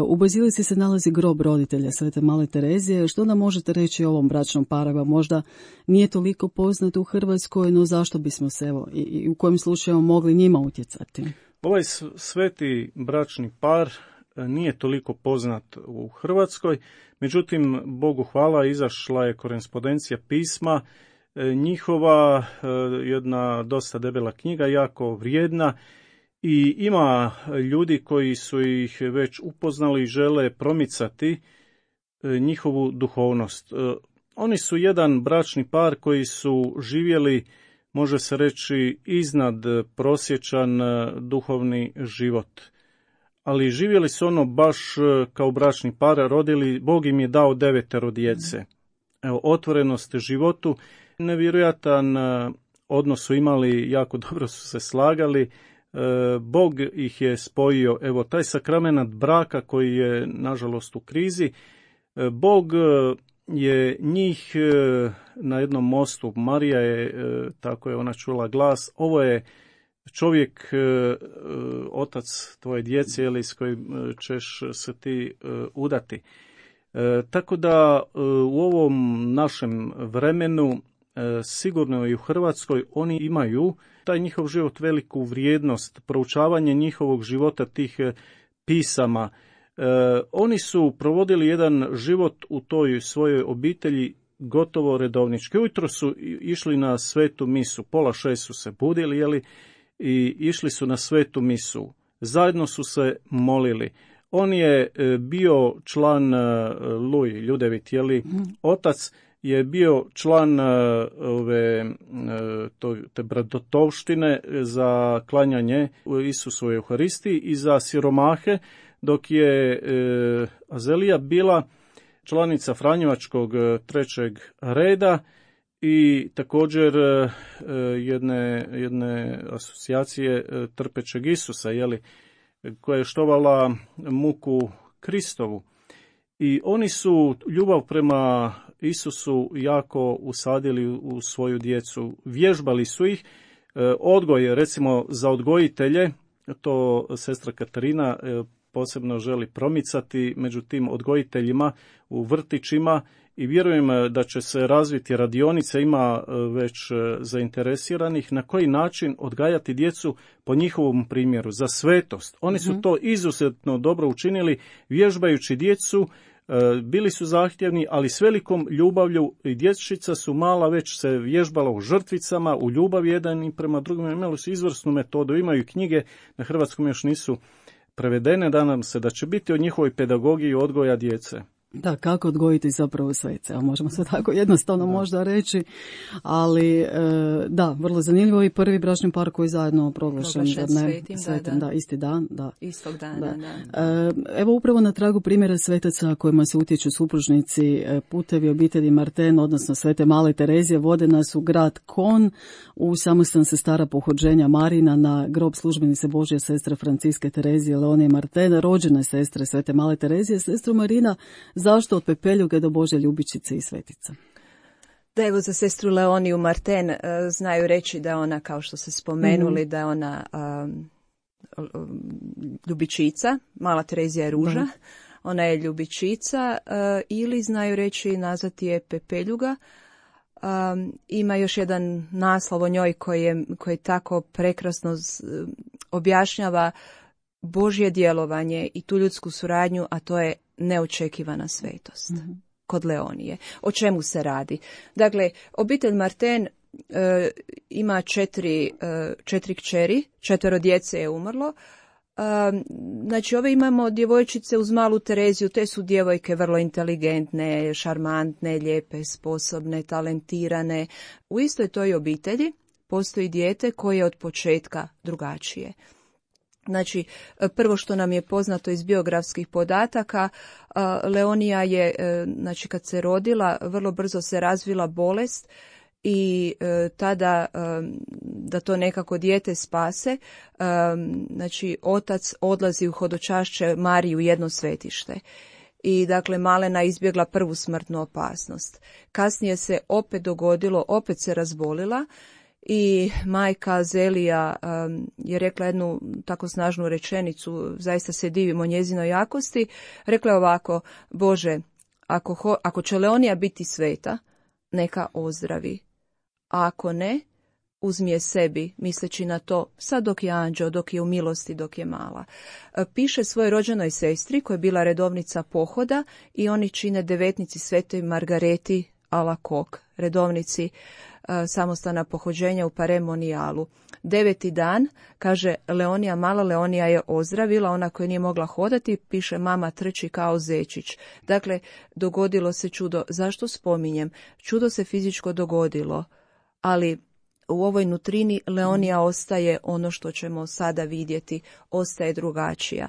U bazilici se nalazi grob roditelja svete Male Terezije. Što nam možete reći o ovom bračnom paru? Možda nije toliko poznat u Hrvatskoj, no zašto bismo se evo i u kojim slučajima mogli njima utjecati? Ovaj sveti bračni par nije toliko poznat u Hrvatskoj, međutim, Bogu hvala, izašla je korespondencija pisma njihova, jedna dosta debela knjiga, jako vrijedna, i ima ljudi koji su ih već upoznali i žele promicati njihovu duhovnost. Oni su jedan bračni par koji su živjeli, može se reći, iznad prosječan duhovni život. Ali živjeli su ono baš kao bračni par, rodili, Bog im je dao 9 djece. Evo, otvorenost životu, nevjerojatan odnos su imali, jako dobro su se slagali, Bog ih je spojio. Evo, taj sakrament braka koji je, nažalost, u krizi, Bog je njih na jednom mostu, Marija je, tako je ona čula glas, ovo je čovjek, otac tvoje djece, ili s kojim ćeš se ti udati. Tako da u ovom našem vremenu, sigurno i u Hrvatskoj, oni imaju taj njihov život veliku vrijednost, proučavanje njihovog života, tih pisama. Oni su provodili jedan život u toj svojoj obitelji gotovo redovnički. Ujutro su išli na svetu misu, 5:30 su se budili, jeli, i išli su na svetu misu. Zajedno su se molili. On je bio član Ljudevit, jeli, otac je bio član te bratovštine za klanjanje Isusovoj Euharistiji i za siromahe, dok je Azelija bila članica Franjevačkog 3. reda i također jedne asocijacije Trpećeg Isusa, jeli, koja je štovala muku Kristovu. I oni su ljubav prema Isusu jako usadili u svoju djecu. Vježbali su ih. Odgoj, recimo za odgojitelje, to sestra Katarina posebno želi promicati među tim odgojiteljima u vrtićima i vjerujem da će se razviti radionica, ima već zainteresiranih, na koji način odgajati djecu po njihovom primjeru, za svetost. Oni su to izuzetno dobro učinili, vježbajući djecu, bili su zahtjevni, ali s velikom ljubavlju, i dječica su mala već se vježbala u žrtvicama, u ljubav jedan i prema drugim, imali su izvrsnu metodu, imaju knjige, na hrvatskom još nisu prevedene, nadam se da će biti o njihovoj pedagogiji odgoja djece. Da, kako odgojiti zapravo svece, a možemo se tako jednostavno možda reći, ali da, vrlo zanimljivo i prvi bračni par koji zajedno proglašen svetim, da, isti dan. Da. Istog dana, da. Evo upravo na tragu primjera svetaca kojima se utječu supružnici, putevi obitelji Marten, odnosno Svete Male Terezije, vode nas u grad Kon, u samostan sestara pohođenja Marina, na grob službenice Božje sestre Franciske Terezije Leonije Marten, rođene sestre Svete Male Terezije. Sestru Marina, zašto od Pepeljuge do Božje ljubičice i svetica? Da, evo, za sestru Leoniju Marten znaju reći da je ona, kao što ste spomenuli, da je ona ljubičica, Mala Terezija je ruža, ona je ljubičica, ili znaju reći nazvati je Pepeljuga. Ima još jedan naslov o njoj koji tako prekrasno objašnjava Božje djelovanje i tu ljudsku suradnju, a to je neočekivana svetost kod Leonije. O čemu se radi? Dakle, obitelj Marten ima 4 kćeri, 4 djece je umrlo. Znači, ove imamo djevojčice uz Malu Tereziju, te su djevojke vrlo inteligentne, šarmantne, lijepe, sposobne, talentirane. U istoj toj obitelji postoji dijete koje je od početka drugačije. Znači, prvo što nam je poznato iz biografskih podataka, Leonija je, znači kad se rodila, vrlo brzo se razvila bolest i tada da to nekako dijete spase, znači otac odlazi u hodočašće Mariju, jedno svetište. I dakle malena izbjegla prvu smrtnu opasnost. Kasnije se opet dogodilo, opet se razbolila i majka Azelija je rekla jednu tako snažnu rečenicu, zaista se divimo njezinoj jakosti, rekla je ovako: Bože, ako će Leonija biti sveta, neka ozdravi, a ako ne, uzmi je sebi, misleći na to sad dok je anđeo, dok je u milosti, dok je mala. Piše svojoj rođenoj sestri koja je bila redovnica pohoda i oni čine devetnici Svetoj Margareti Alacoque, redovnici samostana pohođenja u Paremonijalu. 9. dan, kaže Leonija, mala Leonija je ozdravila, ona koja nije mogla hodati, piše mama trči kao zečić. Dakle, dogodilo se čudo. Zašto spominjem? Čudo se fizičko dogodilo, ali u ovoj nutrini Leonija ostaje ono što ćemo sada vidjeti, ostaje drugačija.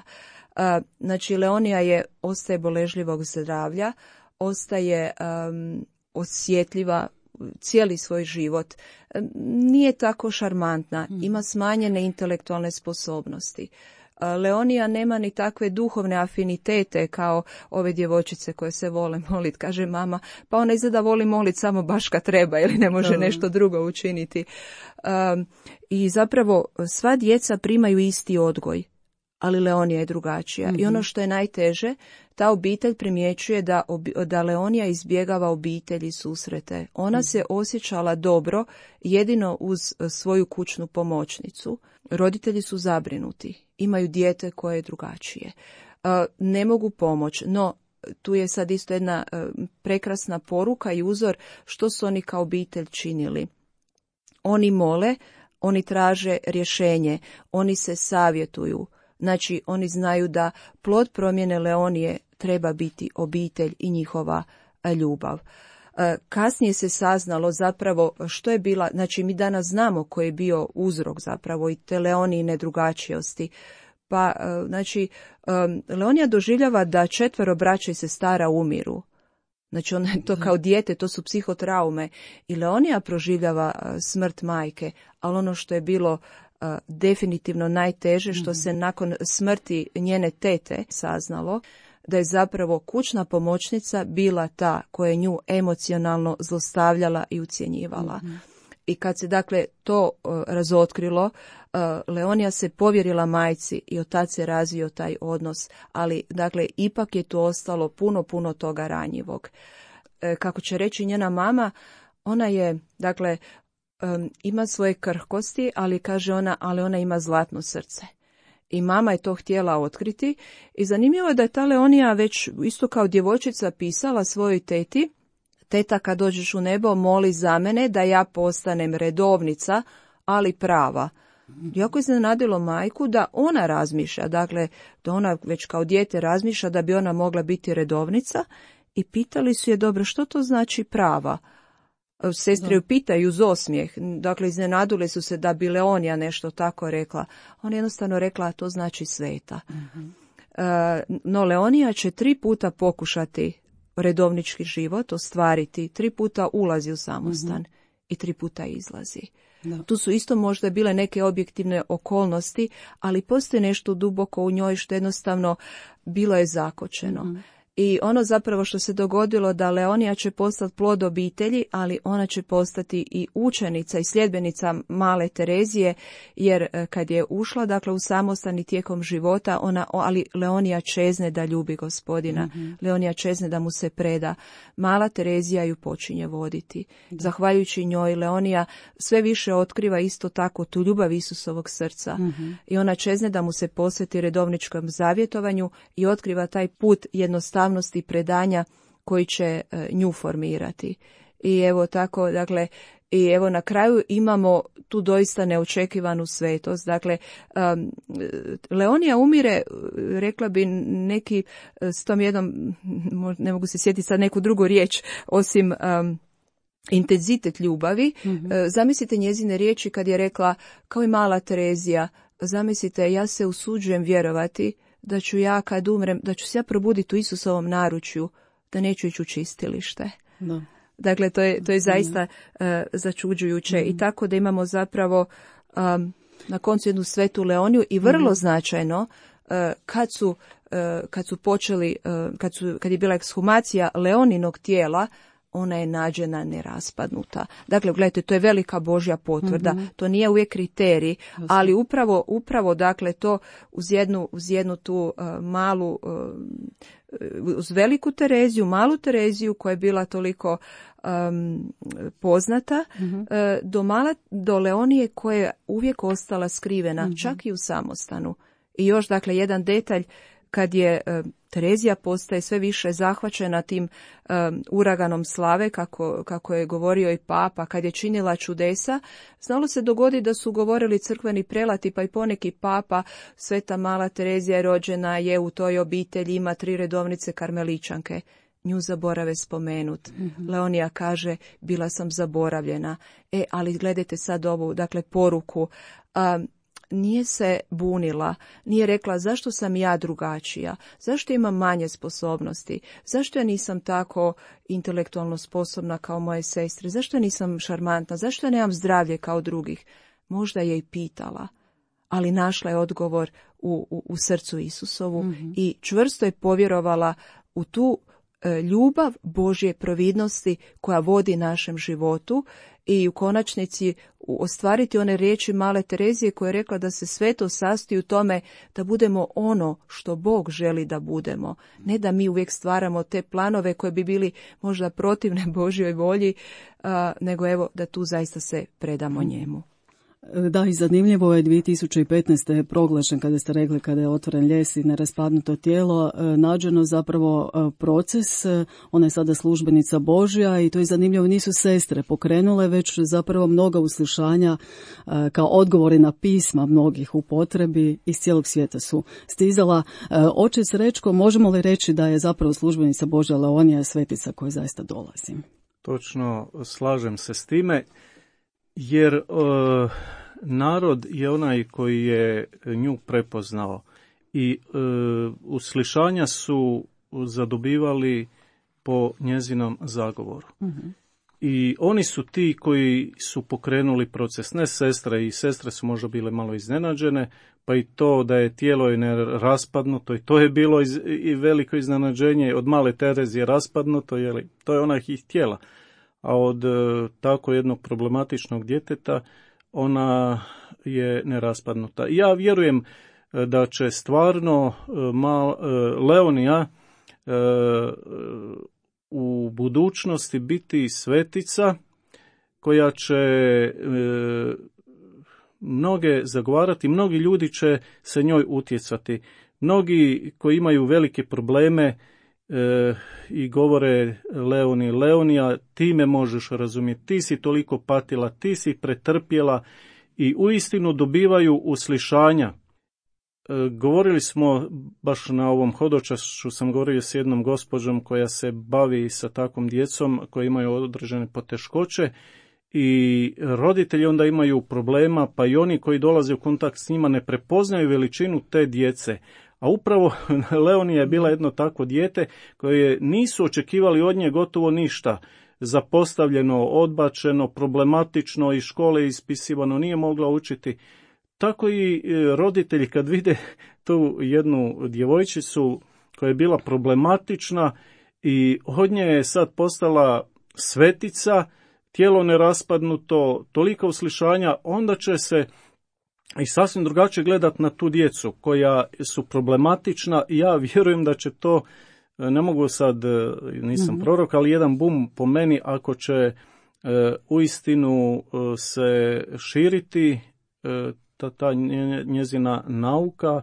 Znači, Leonija ostaje boležljivog zdravlja, ostaje osjetljiva cijeli svoj život. Nije tako šarmantna, ima smanjene intelektualne sposobnosti. Leonija nema ni takve duhovne afinitete kao ove djevojčice koje se vole moliti, kaže mama, pa ona izgleda voli moliti samo baš kad treba ili ne može nešto drugo učiniti. I zapravo sva djeca primaju isti odgoj, ali Leonija je drugačija. I ono što je najteže, ta obitelj primjećuje da Leonija izbjegava obitelji susrete. Ona se osjećala dobro jedino uz svoju kućnu pomoćnicu. Roditelji su zabrinuti, imaju dijete koje je drugačije. Ne mogu pomoći, no tu je sad isto jedna prekrasna poruka i uzor što su oni kao obitelj činili. Oni mole, oni traže rješenje, oni se savjetuju. Znači, oni znaju da plod promjene Leonije treba biti obitelj i njihova ljubav. Kasnije se saznalo zapravo što je bila, znači mi danas znamo koji je bio uzrok zapravo i te Leonijine drugačijosti. Pa, znači, Leonija doživljava da 4 braće i sestara umiru. Znači, ona je to kao dijete, to su psihotraume. I Leonija proživljava smrt majke, ali ono što je bilo definitivno najteže, što se nakon smrti njene tete saznalo, da je zapravo kućna pomoćnica bila ta koja je nju emocionalno zlostavljala i ucjenjivala. I kad se dakle to razotkrilo, Leonija se povjerila majci i od tad se razvio taj odnos, ali dakle ipak je tu ostalo puno toga ranjivog. Kako će reći njena mama, ona je, dakle, ima svoje krhkosti, ali kaže ona, ali ona ima zlatno srce. I mama je to htjela otkriti i zanimljivo je da je ta Leonija već isto kao djevojčica pisala svojoj teti, teta kad dođeš u nebo moli za mene da ja postanem redovnica, ali prava. Jako je iznenadilo majku da ona razmišlja, dakle da ona već kao dijete razmišlja da bi ona mogla biti redovnica i pitali su je, dobro, što to znači prava? Sestre ju pitaju uz osmijeh, dakle iznenadile su se da bi Leonija nešto tako rekla. Ona je jednostavno rekla, to znači sveta. No Leonija će 3 puta pokušati redovnički život ostvariti, 3 puta ulazi u samostan i 3 puta izlazi. Tu su isto možda bile neke objektivne okolnosti, ali postoji nešto duboko u njoj što jednostavno bilo je zakočeno. I ono zapravo što se dogodilo da Leonija će postati plod obitelji, ali ona će postati i učenica i sljedbenica male Terezije, jer kad je ušla dakle u samostan i tijekom života, ali Leonija čezne da ljubi Gospodina, Leonija čezne da mu se preda. Mala Terezija ju počinje voditi. Zahvaljujući njoj Leonija sve više otkriva isto tako tu ljubav Isusovog srca. I ona čezne da mu se posveti redovničkom zavjetovanju i otkriva taj put jednostavnosti predanja koji će nju formirati. I evo tako, dakle, i evo na kraju imamo tu doista neočekivanu svetost. Dakle, Leonija umire, rekla bi neki s tom jednom, ne mogu se sjetiti sad neku drugu riječ, osim intenzitet ljubavi. Zamislite njezine riječi kad je rekla, kao i mala Terezija, zamislite, ja se usuđujem vjerovati da ću ja kad umrem, da ću se ja probuditi u Isusovom naručju, da neću ići u čistilište. Dakle, to je zaista začuđujuće. I tako da imamo zapravo na koncu jednu svetu Leoniju i vrlo značajno kad su počeli, kad je bila ekshumacija Leoninog tijela, ona je nađena neraspadnuta. Dakle, gledajte, to je velika Božja potvrda. To nije uvijek kriterij, ali upravo dakle to uz jednu tu malu, uz veliku Tereziju, malu Tereziju koja je bila toliko poznata, do Leonije koja je uvijek ostala skrivena, čak i u samostanu. I još dakle jedan detalj, kad je Terezija postaje sve više zahvaćena tim uraganom slave, kako je govorio i papa, kad je činila čudesa, znalo se dogoditi da su govorili crkveni prelati, pa i poneki papa, sveta mala Terezija je rođena, je u toj obitelji, ima 3 redovnice karmeličanke. Nju zaborave spomenut. Leonija kaže, bila sam zaboravljena. Ali gledajte sad ovu, dakle, poruku. nije se bunila, nije rekla zašto sam ja drugačija, zašto imam manje sposobnosti, zašto ja nisam tako intelektualno sposobna kao moje sestre, zašto ja nisam šarmantna, zašto ja nemam zdravlje kao drugih. Možda je i pitala, ali našla je odgovor u srcu Isusovu i čvrsto je povjerovala u tu ljubav Božje providnosti koja vodi našem životu i u konačnici ostvariti one riječi male Terezije koja je rekla da se sve to sastoji u tome da budemo ono što Bog želi da budemo. Ne da mi uvijek stvaramo te planove koje bi bili možda protivne Božjoj volji, nego evo da tu zaista se predamo njemu. Da, i zanimljivo je 2015. je proglašen, kada ste rekli, kada je otvoren ljes i neraspadnuto tijelo, nađeno zapravo proces, ona je sada službenica Božja i to je zanimljivo, nisu sestre pokrenule, već zapravo mnoga uslišanja kao odgovori na pisma mnogih u potrebi iz cijelog svijeta su stizala. Oče Srećko, možemo li reći da je zapravo službenica Božja Leonija svetica koja zaista dolazi? Točno, slažem se s time. Jer narod je onaj koji je nju prepoznao i uslišanja su zadobivali po njezinom zagovoru. I oni su ti koji su pokrenuli proces, ne sestre, i sestre su možda bile malo iznenađene, pa i to da je tijelo je neraspadnuto, i to je bilo i veliko iznenađenje, od male Terezije raspadnuto, jeli, to je ona ih htjela. A od tako jednog problematičnog djeteta ona je neraspadnuta. Ja vjerujem da će stvarno Leonija u budućnosti biti svetica koja će mnoge zagovarati, mnogi ljudi će se njoj utjecati. Mnogi koji imaju velike probleme i govore Leonija, ti me možeš razumjeti, ti si toliko patila, ti si pretrpjela, i uistinu dobivaju uslišanja. Govorili smo baš na ovom hodočašću, sam govorio s jednom gospođom koja se bavi sa takvom djecom koji imaju određene poteškoće i roditelji onda imaju problema, pa i oni koji dolaze u kontakt s njima ne prepoznaju veličinu te djece. A upravo Leonija je bila jedno takvo dijete koje nisu očekivali od nje gotovo ništa. Zapostavljeno, odbačeno, problematično, iz škole ispisivano, nije mogla učiti. Tako i roditelji kad vide tu jednu djevojčicu koja je bila problematična i od nje je sad postala svetica, tijelo neraspadnuto, tolika uslišanja, onda će se i sasvim drugačije gledati na tu djecu koja su problematična. I ja vjerujem da će to, ne mogu sad, nisam prorok, ali jedan bum po meni, ako će uistinu se širiti ta njezina nauka,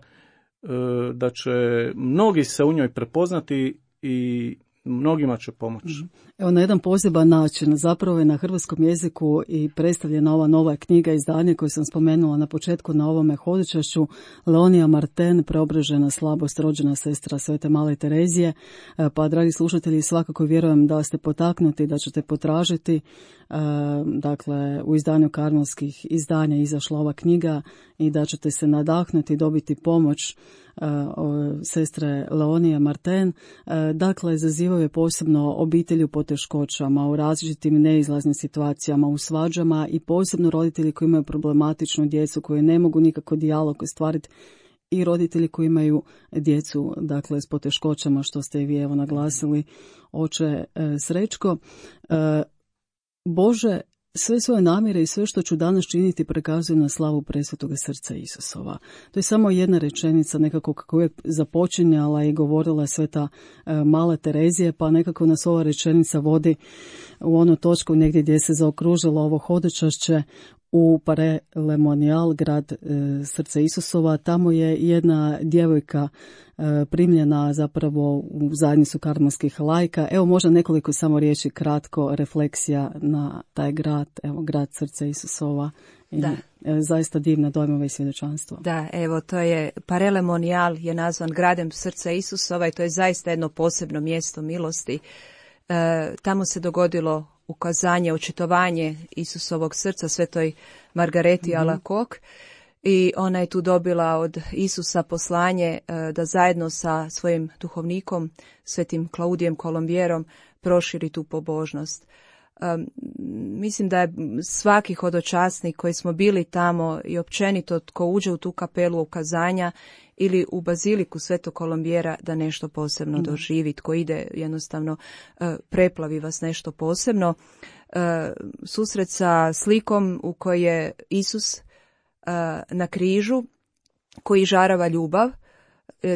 da će mnogi se u njoj prepoznati i mnogima će pomoći. Evo, na jedan poseban način zapravo je na hrvatskom jeziku i predstavljena ova nova knjiga, izdanje koju sam spomenula na početku na ovome hodočašću, Leonija Marten, preobražena slabost, rođena sestra Svete male Terezije. Pa, dragi slušatelji, svakako vjerujem da ste potaknuti, da ćete potražiti. Dakle, u izdanju karmelskih izdanja izašla ova knjiga i da ćete se nadahnuti, dobiti pomoć sestre Leonije Marten. Dakle, zazivaju je posebno obitelji u poteškoćama, u različitim neizlaznim situacijama, u svađama, i posebno roditelji koji imaju problematičnu djecu, koji ne mogu nikako dijalog ostvariti, i roditelji koji imaju djecu, dakle, s poteškoćama, što ste i vi evo naglasili, oče Srećko. Bože, sve svoje namjere i sve što ću danas činiti prekazujem na slavu presvetoga srca Isusova. To je samo jedna rečenica nekako kako je započinjala i govorila Sveta mala Terezija, pa nekako nas ova rečenica vodi u onu točku negdje gdje se zaokružilo ovo hodočašće u Paray-le-Monial, grad srca Isusova. Tamo je jedna djevojka primljena zapravo u zajednicu karmelskih laika. Evo, možda nekoliko samo riječi, kratko, refleksija na taj grad, evo, grad srca Isusova. Da. Zaista divna dojmova i svjedočanstvo. Da, evo, to je Paray-le-Monial je nazvan gradem srca Isusova i to je zaista jedno posebno mjesto milosti. Tamo se dogodilo ukazanje, očitovanje Isusovog srca Svetoj Margareti Alacoque. i ona je tu dobila od Isusa poslanje da zajedno sa svojim duhovnikom, svetim Klaudijem Kolombjerom, proširi tu pobožnost. Mislim da je svaki hodočasnik koji smo bili tamo i općenito tko uđe u tu kapelu ukazanja ili u baziliku Svetog Kolombjera da nešto posebno doživi, tko ide jednostavno preplavi vas nešto posebno. Susret sa slikom u kojoj je Isus na križu koji žarava ljubav,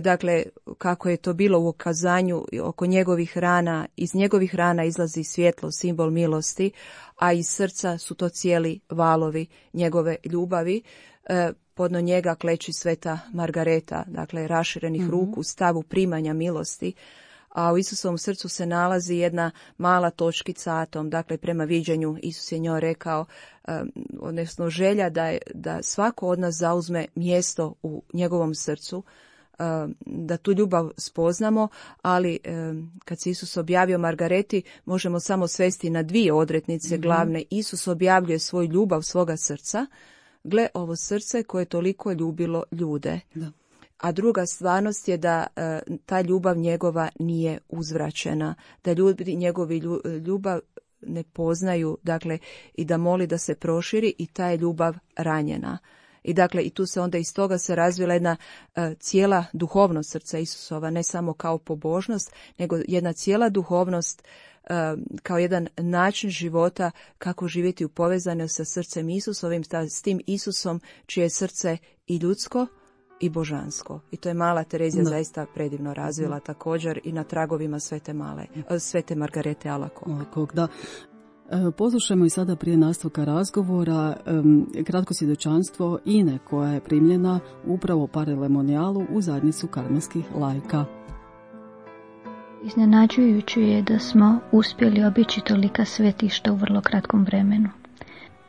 dakle kako je to bilo u ukazanju oko njegovih rana, iz njegovih rana izlazi svjetlo, simbol milosti, a iz srca su to cijeli valovi njegove ljubavi. Podno njega kleči sveta Margareta, dakle raširenih ruku, stavu primanja milosti, a u Isusovom srcu se nalazi jedna mala točkica atom, dakle prema viđenju Isus je njoj rekao, odnosno želja da svako od nas zauzme mjesto u njegovom srcu, da tu ljubav spoznamo, ali kad se Isus objavio Margareti, možemo samo svesti na dvije odrednice glavne. Isus objavljuje svoju ljubav svoga srca, gle ovo srce koje je toliko ljubilo ljude. Da. A druga stvarnost je da ta ljubav njegova nije uzvraćena, da ljudi njegovi ljubav ne poznaju, dakle, i da moli da se proširi i ta je ljubav ranjena. I dakle, i tu se onda iz toga se razvila jedna cijela duhovnost srca Isusova, ne samo kao pobožnost, nego jedna cijela duhovnost kao jedan način života kako živjeti u povezanju sa srcem Isusovim, s tim Isusom čije je srce i ljudsko i božansko. I to je mala Terezija zaista predivno razvila također i na tragovima svete Margarete Alacoque. Da. Poslušajmo i sada prije nastavka razgovora kratko svjedočanstvo Ine koja je primljena upravo u Parelemonijalu u zajednicu karmelskih laika. Iznenađujuće je da smo uspjeli obići tolika svetišta u vrlo kratkom vremenu.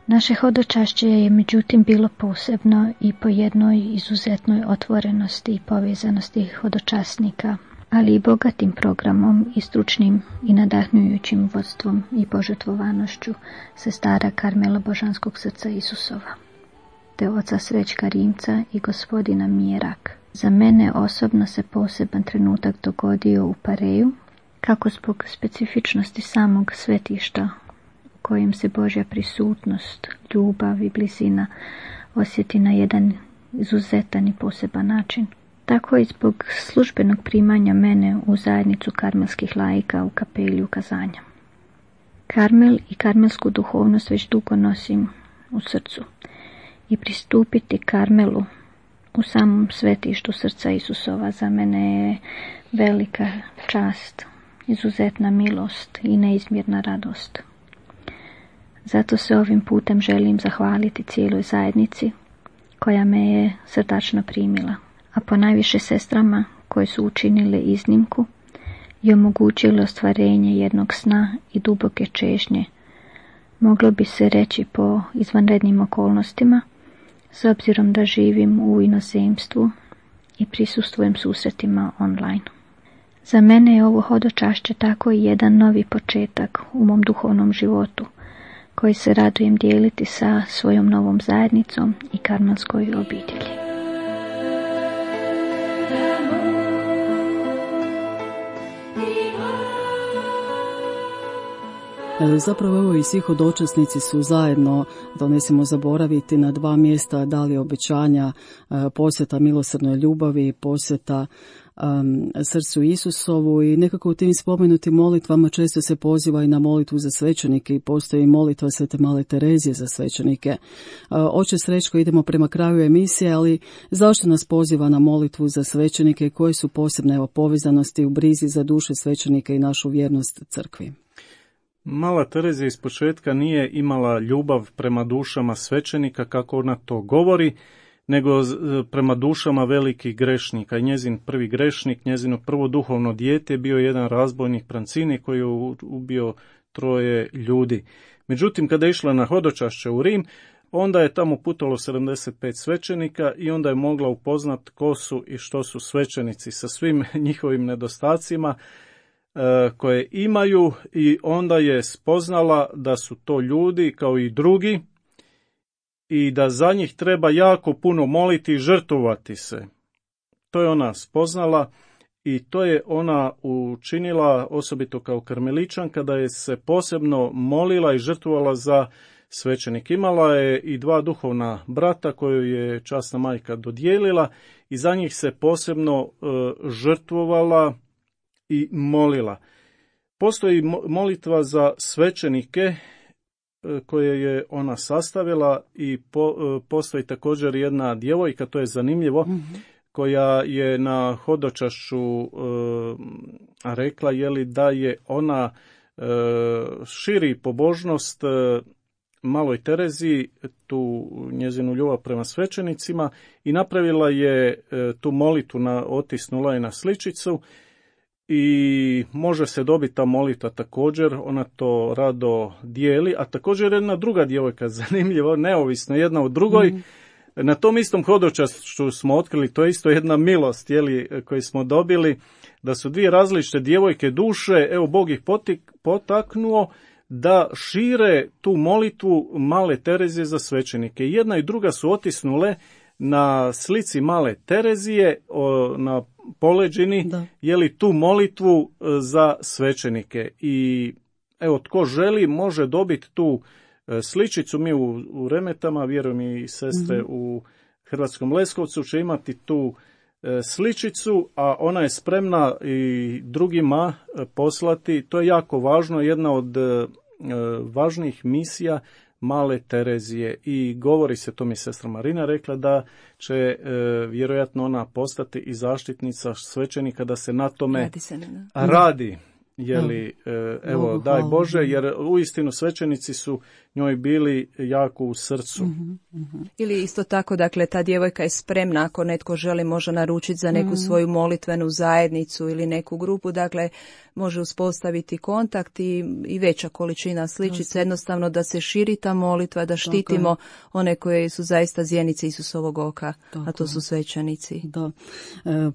Naše hodočašće je međutim bilo posebno i po jednoj izuzetnoj otvorenosti i povezanosti hodočasnika, ali i bogatim programom i stručnim i nadahnujućim vodstvom i požrtvovanošću sestara Karmela Božanskog srca Isusova, te oca Srećka Rimca i gospodina Mijerak. Za mene osobno se poseban trenutak dogodio u Pareju, kako zbog specifičnosti samog svetišta u kojem se Božja prisutnost, ljubav i blizina osjeti na jedan izuzetan i poseban način, tako i zbog službenog primanja mene u zajednicu karmelskih laika u kapeli ukazanja. Karmel i karmelsku duhovnost već dugo nosim u srcu i pristupiti Karmelu u samom svetištu srca Isusova za mene je velika čast, izuzetna milost i neizmjerna radost. Zato se ovim putem želim zahvaliti cijeloj zajednici koja me je srdačno primila, a ponajviše sestrama koje su učinile iznimku i omogućile ostvarenje jednog sna i duboke čežnje, moglo bi se reći po izvanrednim okolnostima, s obzirom da živim u inozemstvu i prisustvujem susretima online. Za mene je ovo hodočašće tako i jedan novi početak u mom duhovnom životu, koji se radujem dijeliti sa svojom novom zajednicom i karmelskoj obitelji. Zapravo evo i svi hodočasnici su zajedno, da ne smijemo zaboraviti, na dva mjesta dali obećanja, posveta milosrdnoj ljubavi, posveta srcu Isusovu, i nekako u tim spomenutim molitvama često se poziva i na molitvu za svećenike i postoji molitva Svete Male Terezije za svećenike. Oče Srećko, idemo prema kraju emisije, ali zašto nas poziva na molitvu za svećenike i koje su posebne povezanosti u brizi za duše svećenika i našu vjernost crkvi? Mala Terezija iz početka nije imala ljubav prema dušama svećenika, kako ona to govori, nego prema dušama velikih grešnika. I njezin prvi grešnik, njezino prvo duhovno dijete je bio jedan razbojnik Prancini koji je ubio 3 ljudi. Međutim, kada je išla na hodočašće u Rim, onda je tamo putovalo 75 svećenika i onda je mogla upoznat ko su i što su svećenici sa svim njihovim nedostacima koje imaju, i onda je spoznala da su to ljudi kao i drugi i da za njih treba jako puno moliti i žrtvovati se. To je ona spoznala i to je ona učinila osobito kao karmeličanka, da je se posebno molila i žrtvovala za svećenik. Imala je i 2 duhovna brata koju je časna majka dodijelila i za njih se posebno žrtvovala i molila. Postoji molitva za svećenike koje je ona sastavila i postoji također jedna djevojka, to je zanimljivo, koja je na hodočašću rekla da je ona širi pobožnost Maloj Tereziji, tu njezinu ljubav prema svećenicima, i napravila je tu molitvu, otisnula je na sličicu i može se dobiti ta molitva također, ona to rado dijeli, a također jedna druga djevojka, zanimljivo, neovisno jedna od drugoj, na tom istom hodočašću smo otkrili, to je isto jedna milost koju smo dobili, da su 2 različite djevojke duše, evo Bog ih potaknuo da šire tu molitvu Male Terezije za svećenike. Jedna i druga su otisnule na slici Male Terezije, na poleđini, tu molitvu za svećenike. I evo, tko želi može dobiti tu sličicu. Mi u Remetama, vjerujem i sestre u Hrvatskom Leskovcu će imati tu sličicu, a ona je spremna i drugima poslati. To je jako važno, jedna od važnijih misija Male Terezije, i govori se, to mi je sestra Marina rekla, da će vjerojatno ona postati i zaštitnica svećenika, da se na tome radi. Evo, daj Bože, jer uistinu svećenici su njoj bili jako u srcu. Ili isto tako, dakle, ta djevojka je spremna, ako netko želi, može naručiti za neku svoju molitvenu zajednicu ili neku grupu, dakle, može uspostaviti kontakt i veća količina sličica, jednostavno da se širi ta molitva, da štitimo one koje su zaista zjenice Isusovog oka, a to su svećenici. Da.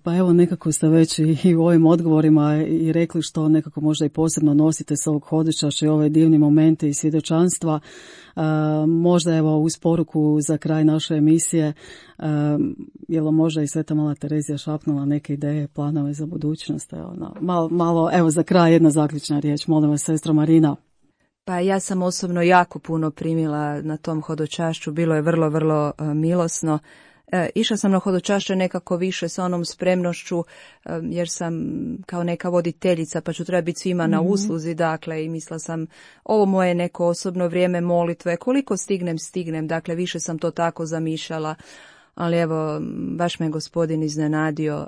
Pa evo, nekako ste već i u ovim odgovorima i rekli što nekako možda i posebno nosite sa ovog hodočašća i ove divne momente i svjedočanstva. Možda evo uz poruku za kraj naše emisije, je li možda i Sveta Mala Terezija šapnula neke ideje, planove za budućnost? Malo, evo za kraj jedna zaključna riječ, molim vas, sestra Marina. Pa ja sam osobno jako puno primila na tom hodočašću, bilo je vrlo, vrlo milosno. Išla sam na hodočašće nekako više sa onom spremnošću, jer sam kao neka voditeljica, pa ću treba biti svima na usluzi, dakle, i mislila sam, ovo moje neko osobno vrijeme molitve, koliko stignem, dakle, više sam to tako zamišljala, ali evo, baš me Gospodin iznenadio.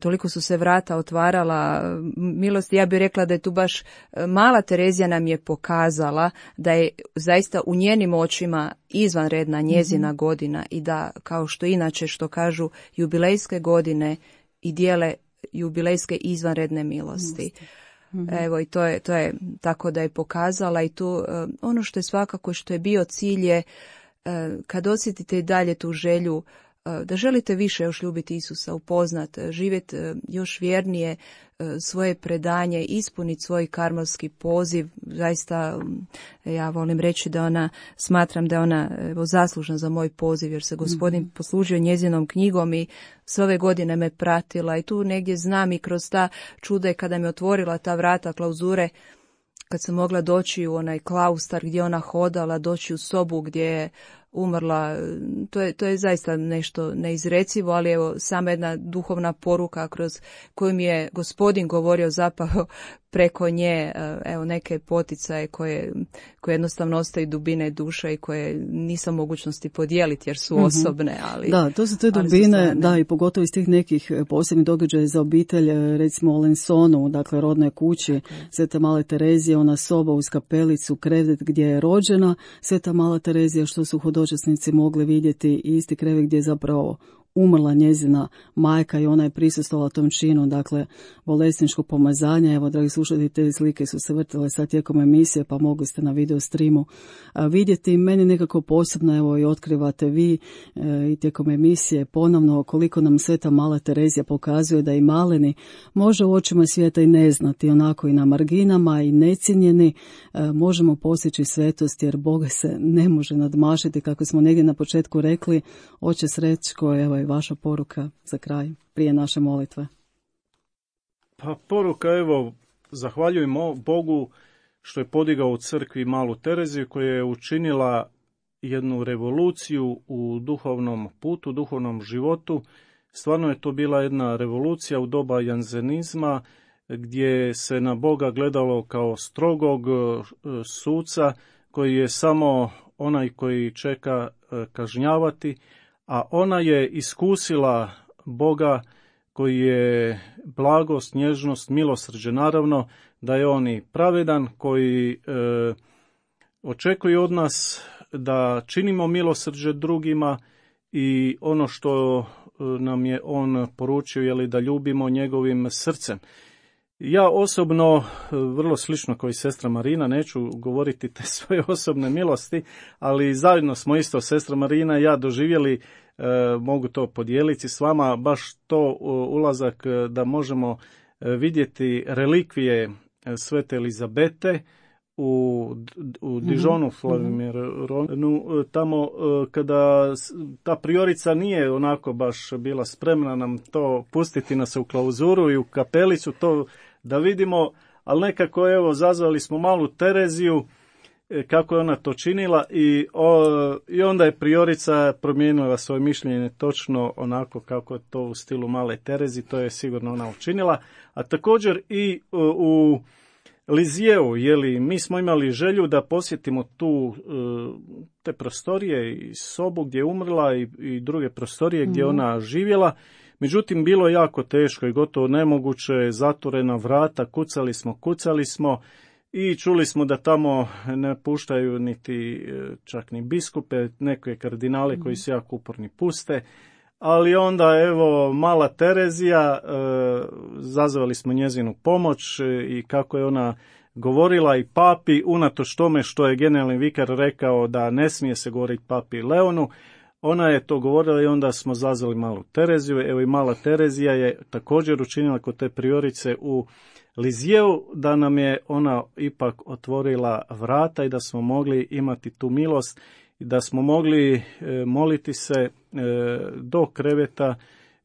Toliko su se vrata otvarala milosti, ja bih rekla da je tu baš Mala Terezija nam je pokazala da je zaista u njenim očima izvanredna njezina godina i da, kao što inače što kažu, jubilejske godine i dijele jubilejske izvanredne milosti. Evo, i to je tako da je pokazala, i tu ono što je svakako što je bio cilj je kad osjetite i dalje tu želju da želite više još ljubiti Isusa, upoznat, živjeti još vjernije svoje predanje, ispuniti svoj karmelski poziv. Zaista ja volim reći da ona, smatram da je ona zaslužna za moj poziv, jer se Gospodin poslužio njezinom knjigom i sve ove godine me pratila, i tu negdje znam i kroz ta čuda kada mi otvorila ta vrata klauzure, kad sam mogla doći u onaj klaustar gdje ona hodala, doći u sobu gdje je umrla, to je zaista nešto neizrecivo, ali evo sama jedna duhovna poruka kroz koju mi je Gospodin govorio zapravo preko nje, evo neke poticaje koje jednostavno ostaju dubine duše i koje nisam mogućnosti podijeliti jer su osobne, ali da, to su te dubine, da, i pogotovo iz tih nekih posebnih događaja za obitelj, recimo u Lensonu, dakle rodnoj kući Svete Male Terezije, ona soba uz kapelicu, krevet gdje je rođena Sveta Mala Terezija, što su hodočasnici mogli vidjeti, i isti krevet gdje je zapravo umrla njezina majka i ona je prisustvovala tom činu, dakle, bolesničkog pomazanja. Evo, dragi slušatelji, te slike su se vrtile sad tijekom emisije, pa mogli ste na video streamu vidjeti. Meni nekako posebno, evo, i otkrivate vi i tijekom emisije ponovno koliko nam Sveta Mala Terezija pokazuje da i maleni može u očima svijeta i ne znati, onako i na marginama i necijenjeni možemo postići svetost, jer Boga se ne može nadmašiti, kako smo negdje na početku rekli. Oče Srećko, evo i vaša poruka za kraj, prije naše molitve. Pa poruka, evo, zahvaljujemo Bogu što je podigao u crkvi Malu Tereziju, koja je učinila jednu revoluciju u duhovnom putu, duhovnom životu. Stvarno je to bila jedna revolucija u doba janzenizma, gdje se na Boga gledalo kao strogog suca, koji je samo onaj koji čeka kažnjavati, a ona je iskusila Boga koji je blagost, nježnost, milosrđe, naravno da je on i pravedan, koji očekuje od nas da činimo milosrđe drugima i ono što nam je on poručio, je li da ljubimo njegovim srcem. Ja osobno, vrlo slično kao i sestra Marina, neću govoriti te svoje osobne milosti, ali zajedno smo isto, sestra Marina i ja, doživjeli, mogu to podijeliti s vama, baš to ulazak da možemo vidjeti relikvije Svete Elizabete u Dijonu, Flavimironu, tamo kada ta priorica nije onako baš bila spremna nam to pustiti nas u klauzuru i u kapelicu, to da vidimo, ali nekako evo zazvali smo Malu Tereziju, kako je ona to činila i onda je priorica promijenila svoje mišljenje točno onako kako je to u stilu Male Terezi, to je sigurno ona učinila. A također i u Lizijeu, mi smo imali želju da posjetimo te prostorije i sobu gdje je umrla i druge prostorije gdje ona živjela. Međutim, bilo je jako teško i gotovo nemoguće, zatvorena vrata, kucali smo i čuli smo da tamo ne puštaju niti čak ni biskupe, neke kardinale koji su jako uporni puste. Ali onda, evo, Mala Terezija, zazvali smo njezinu pomoć i kako je ona govorila i papi, unatoč tome što je generalni vikar rekao da ne smije se govoriti papi Leonu, ona je to govorila i onda smo zazvali Malu Tereziju. Evo i Mala Terezija je također učinila kod te priorice u Lizijeu, da nam je ona ipak otvorila vrata i da smo mogli imati tu milost i da smo mogli moliti se do kreveta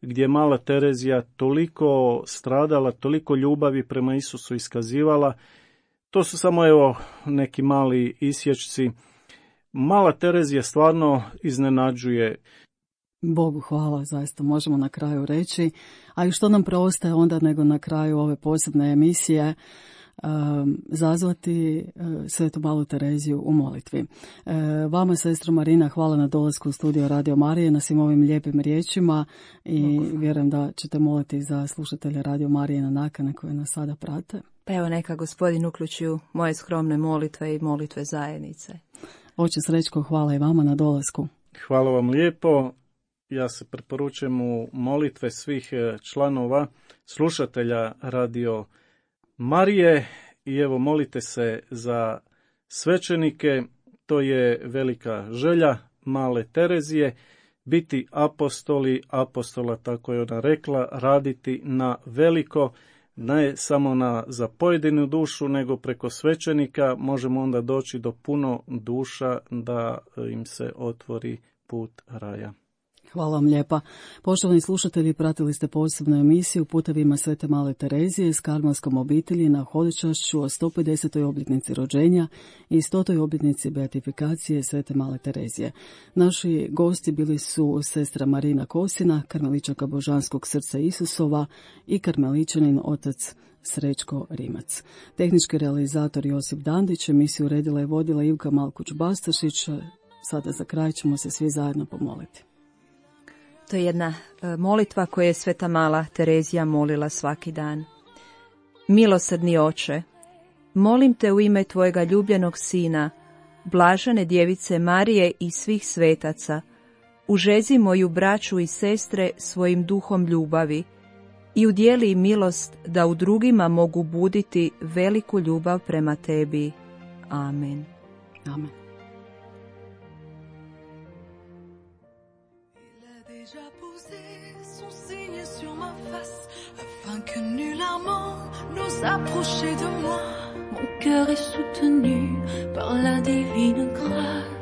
gdje je Mala Terezija toliko stradala, toliko ljubavi prema Isusu iskazivala. To su samo evo neki mali isječci. Mala Terezija stvarno iznenađuje. Bogu hvala, zaista možemo na kraju reći. A i što nam preostaje onda nego na kraju ove posebne emisije zazvati Svetu Malu Tereziju u molitvi. Vama, sestra Marina, hvala na dolasku u studio Radio Marije, na svim ovim lijepim riječima i vjerujem da ćete moliti za slušatelje Radio Marije na nakane koje nas sada prate. Pa evo, neka Gospodin uključi u moje skromne molitve i molitve zajednice. Oče Srećko, hvala i vama na dolasku. Hvala vam lijepo. Ja se preporučujem u molitve svih članova, slušatelja Radio Marije i evo molite se za svećenike, to je velika želja Male Terezije, biti apostoli apostola, tako je ona rekla, raditi na veliko, ne samo za pojedinu dušu, nego preko svećenika možemo onda doći do puno duša da im se otvori put raja. Hvala vam lijepa. Poštovani slušatelji, pratili ste posebnu emisiju Putevima Svete Male Terezije s karmelskom obitelji na hodočašću o 150. obljetnici rođenja i 100. obljetnici beatifikacije Svete Male Terezije. Naši gosti bili su sestra Marina Kosina, karmeličanka Božanskog srca Isusova i karmeličanin otac Srećko Rimac. Tehnički realizator Josip Dandić, emisiju uredila i vodila Ivka Malkuć-Bastašić. Sada za kraj ćemo se svi zajedno pomoliti. To je jedna molitva koju je Sveta Mala Terezija molila svaki dan. Milosrdni Oče, molim te u ime tvojega ljubljenog sina, blažene djevice Marije i svih svetaca, Užezi moju braću i sestre svojim duhom ljubavi i udjeli im milost da u drugima mogu buditi veliku ljubav prema tebi. Amen. Amen. Que nullement nous approcher de moi, mon cœur est soutenu par la divine grâce.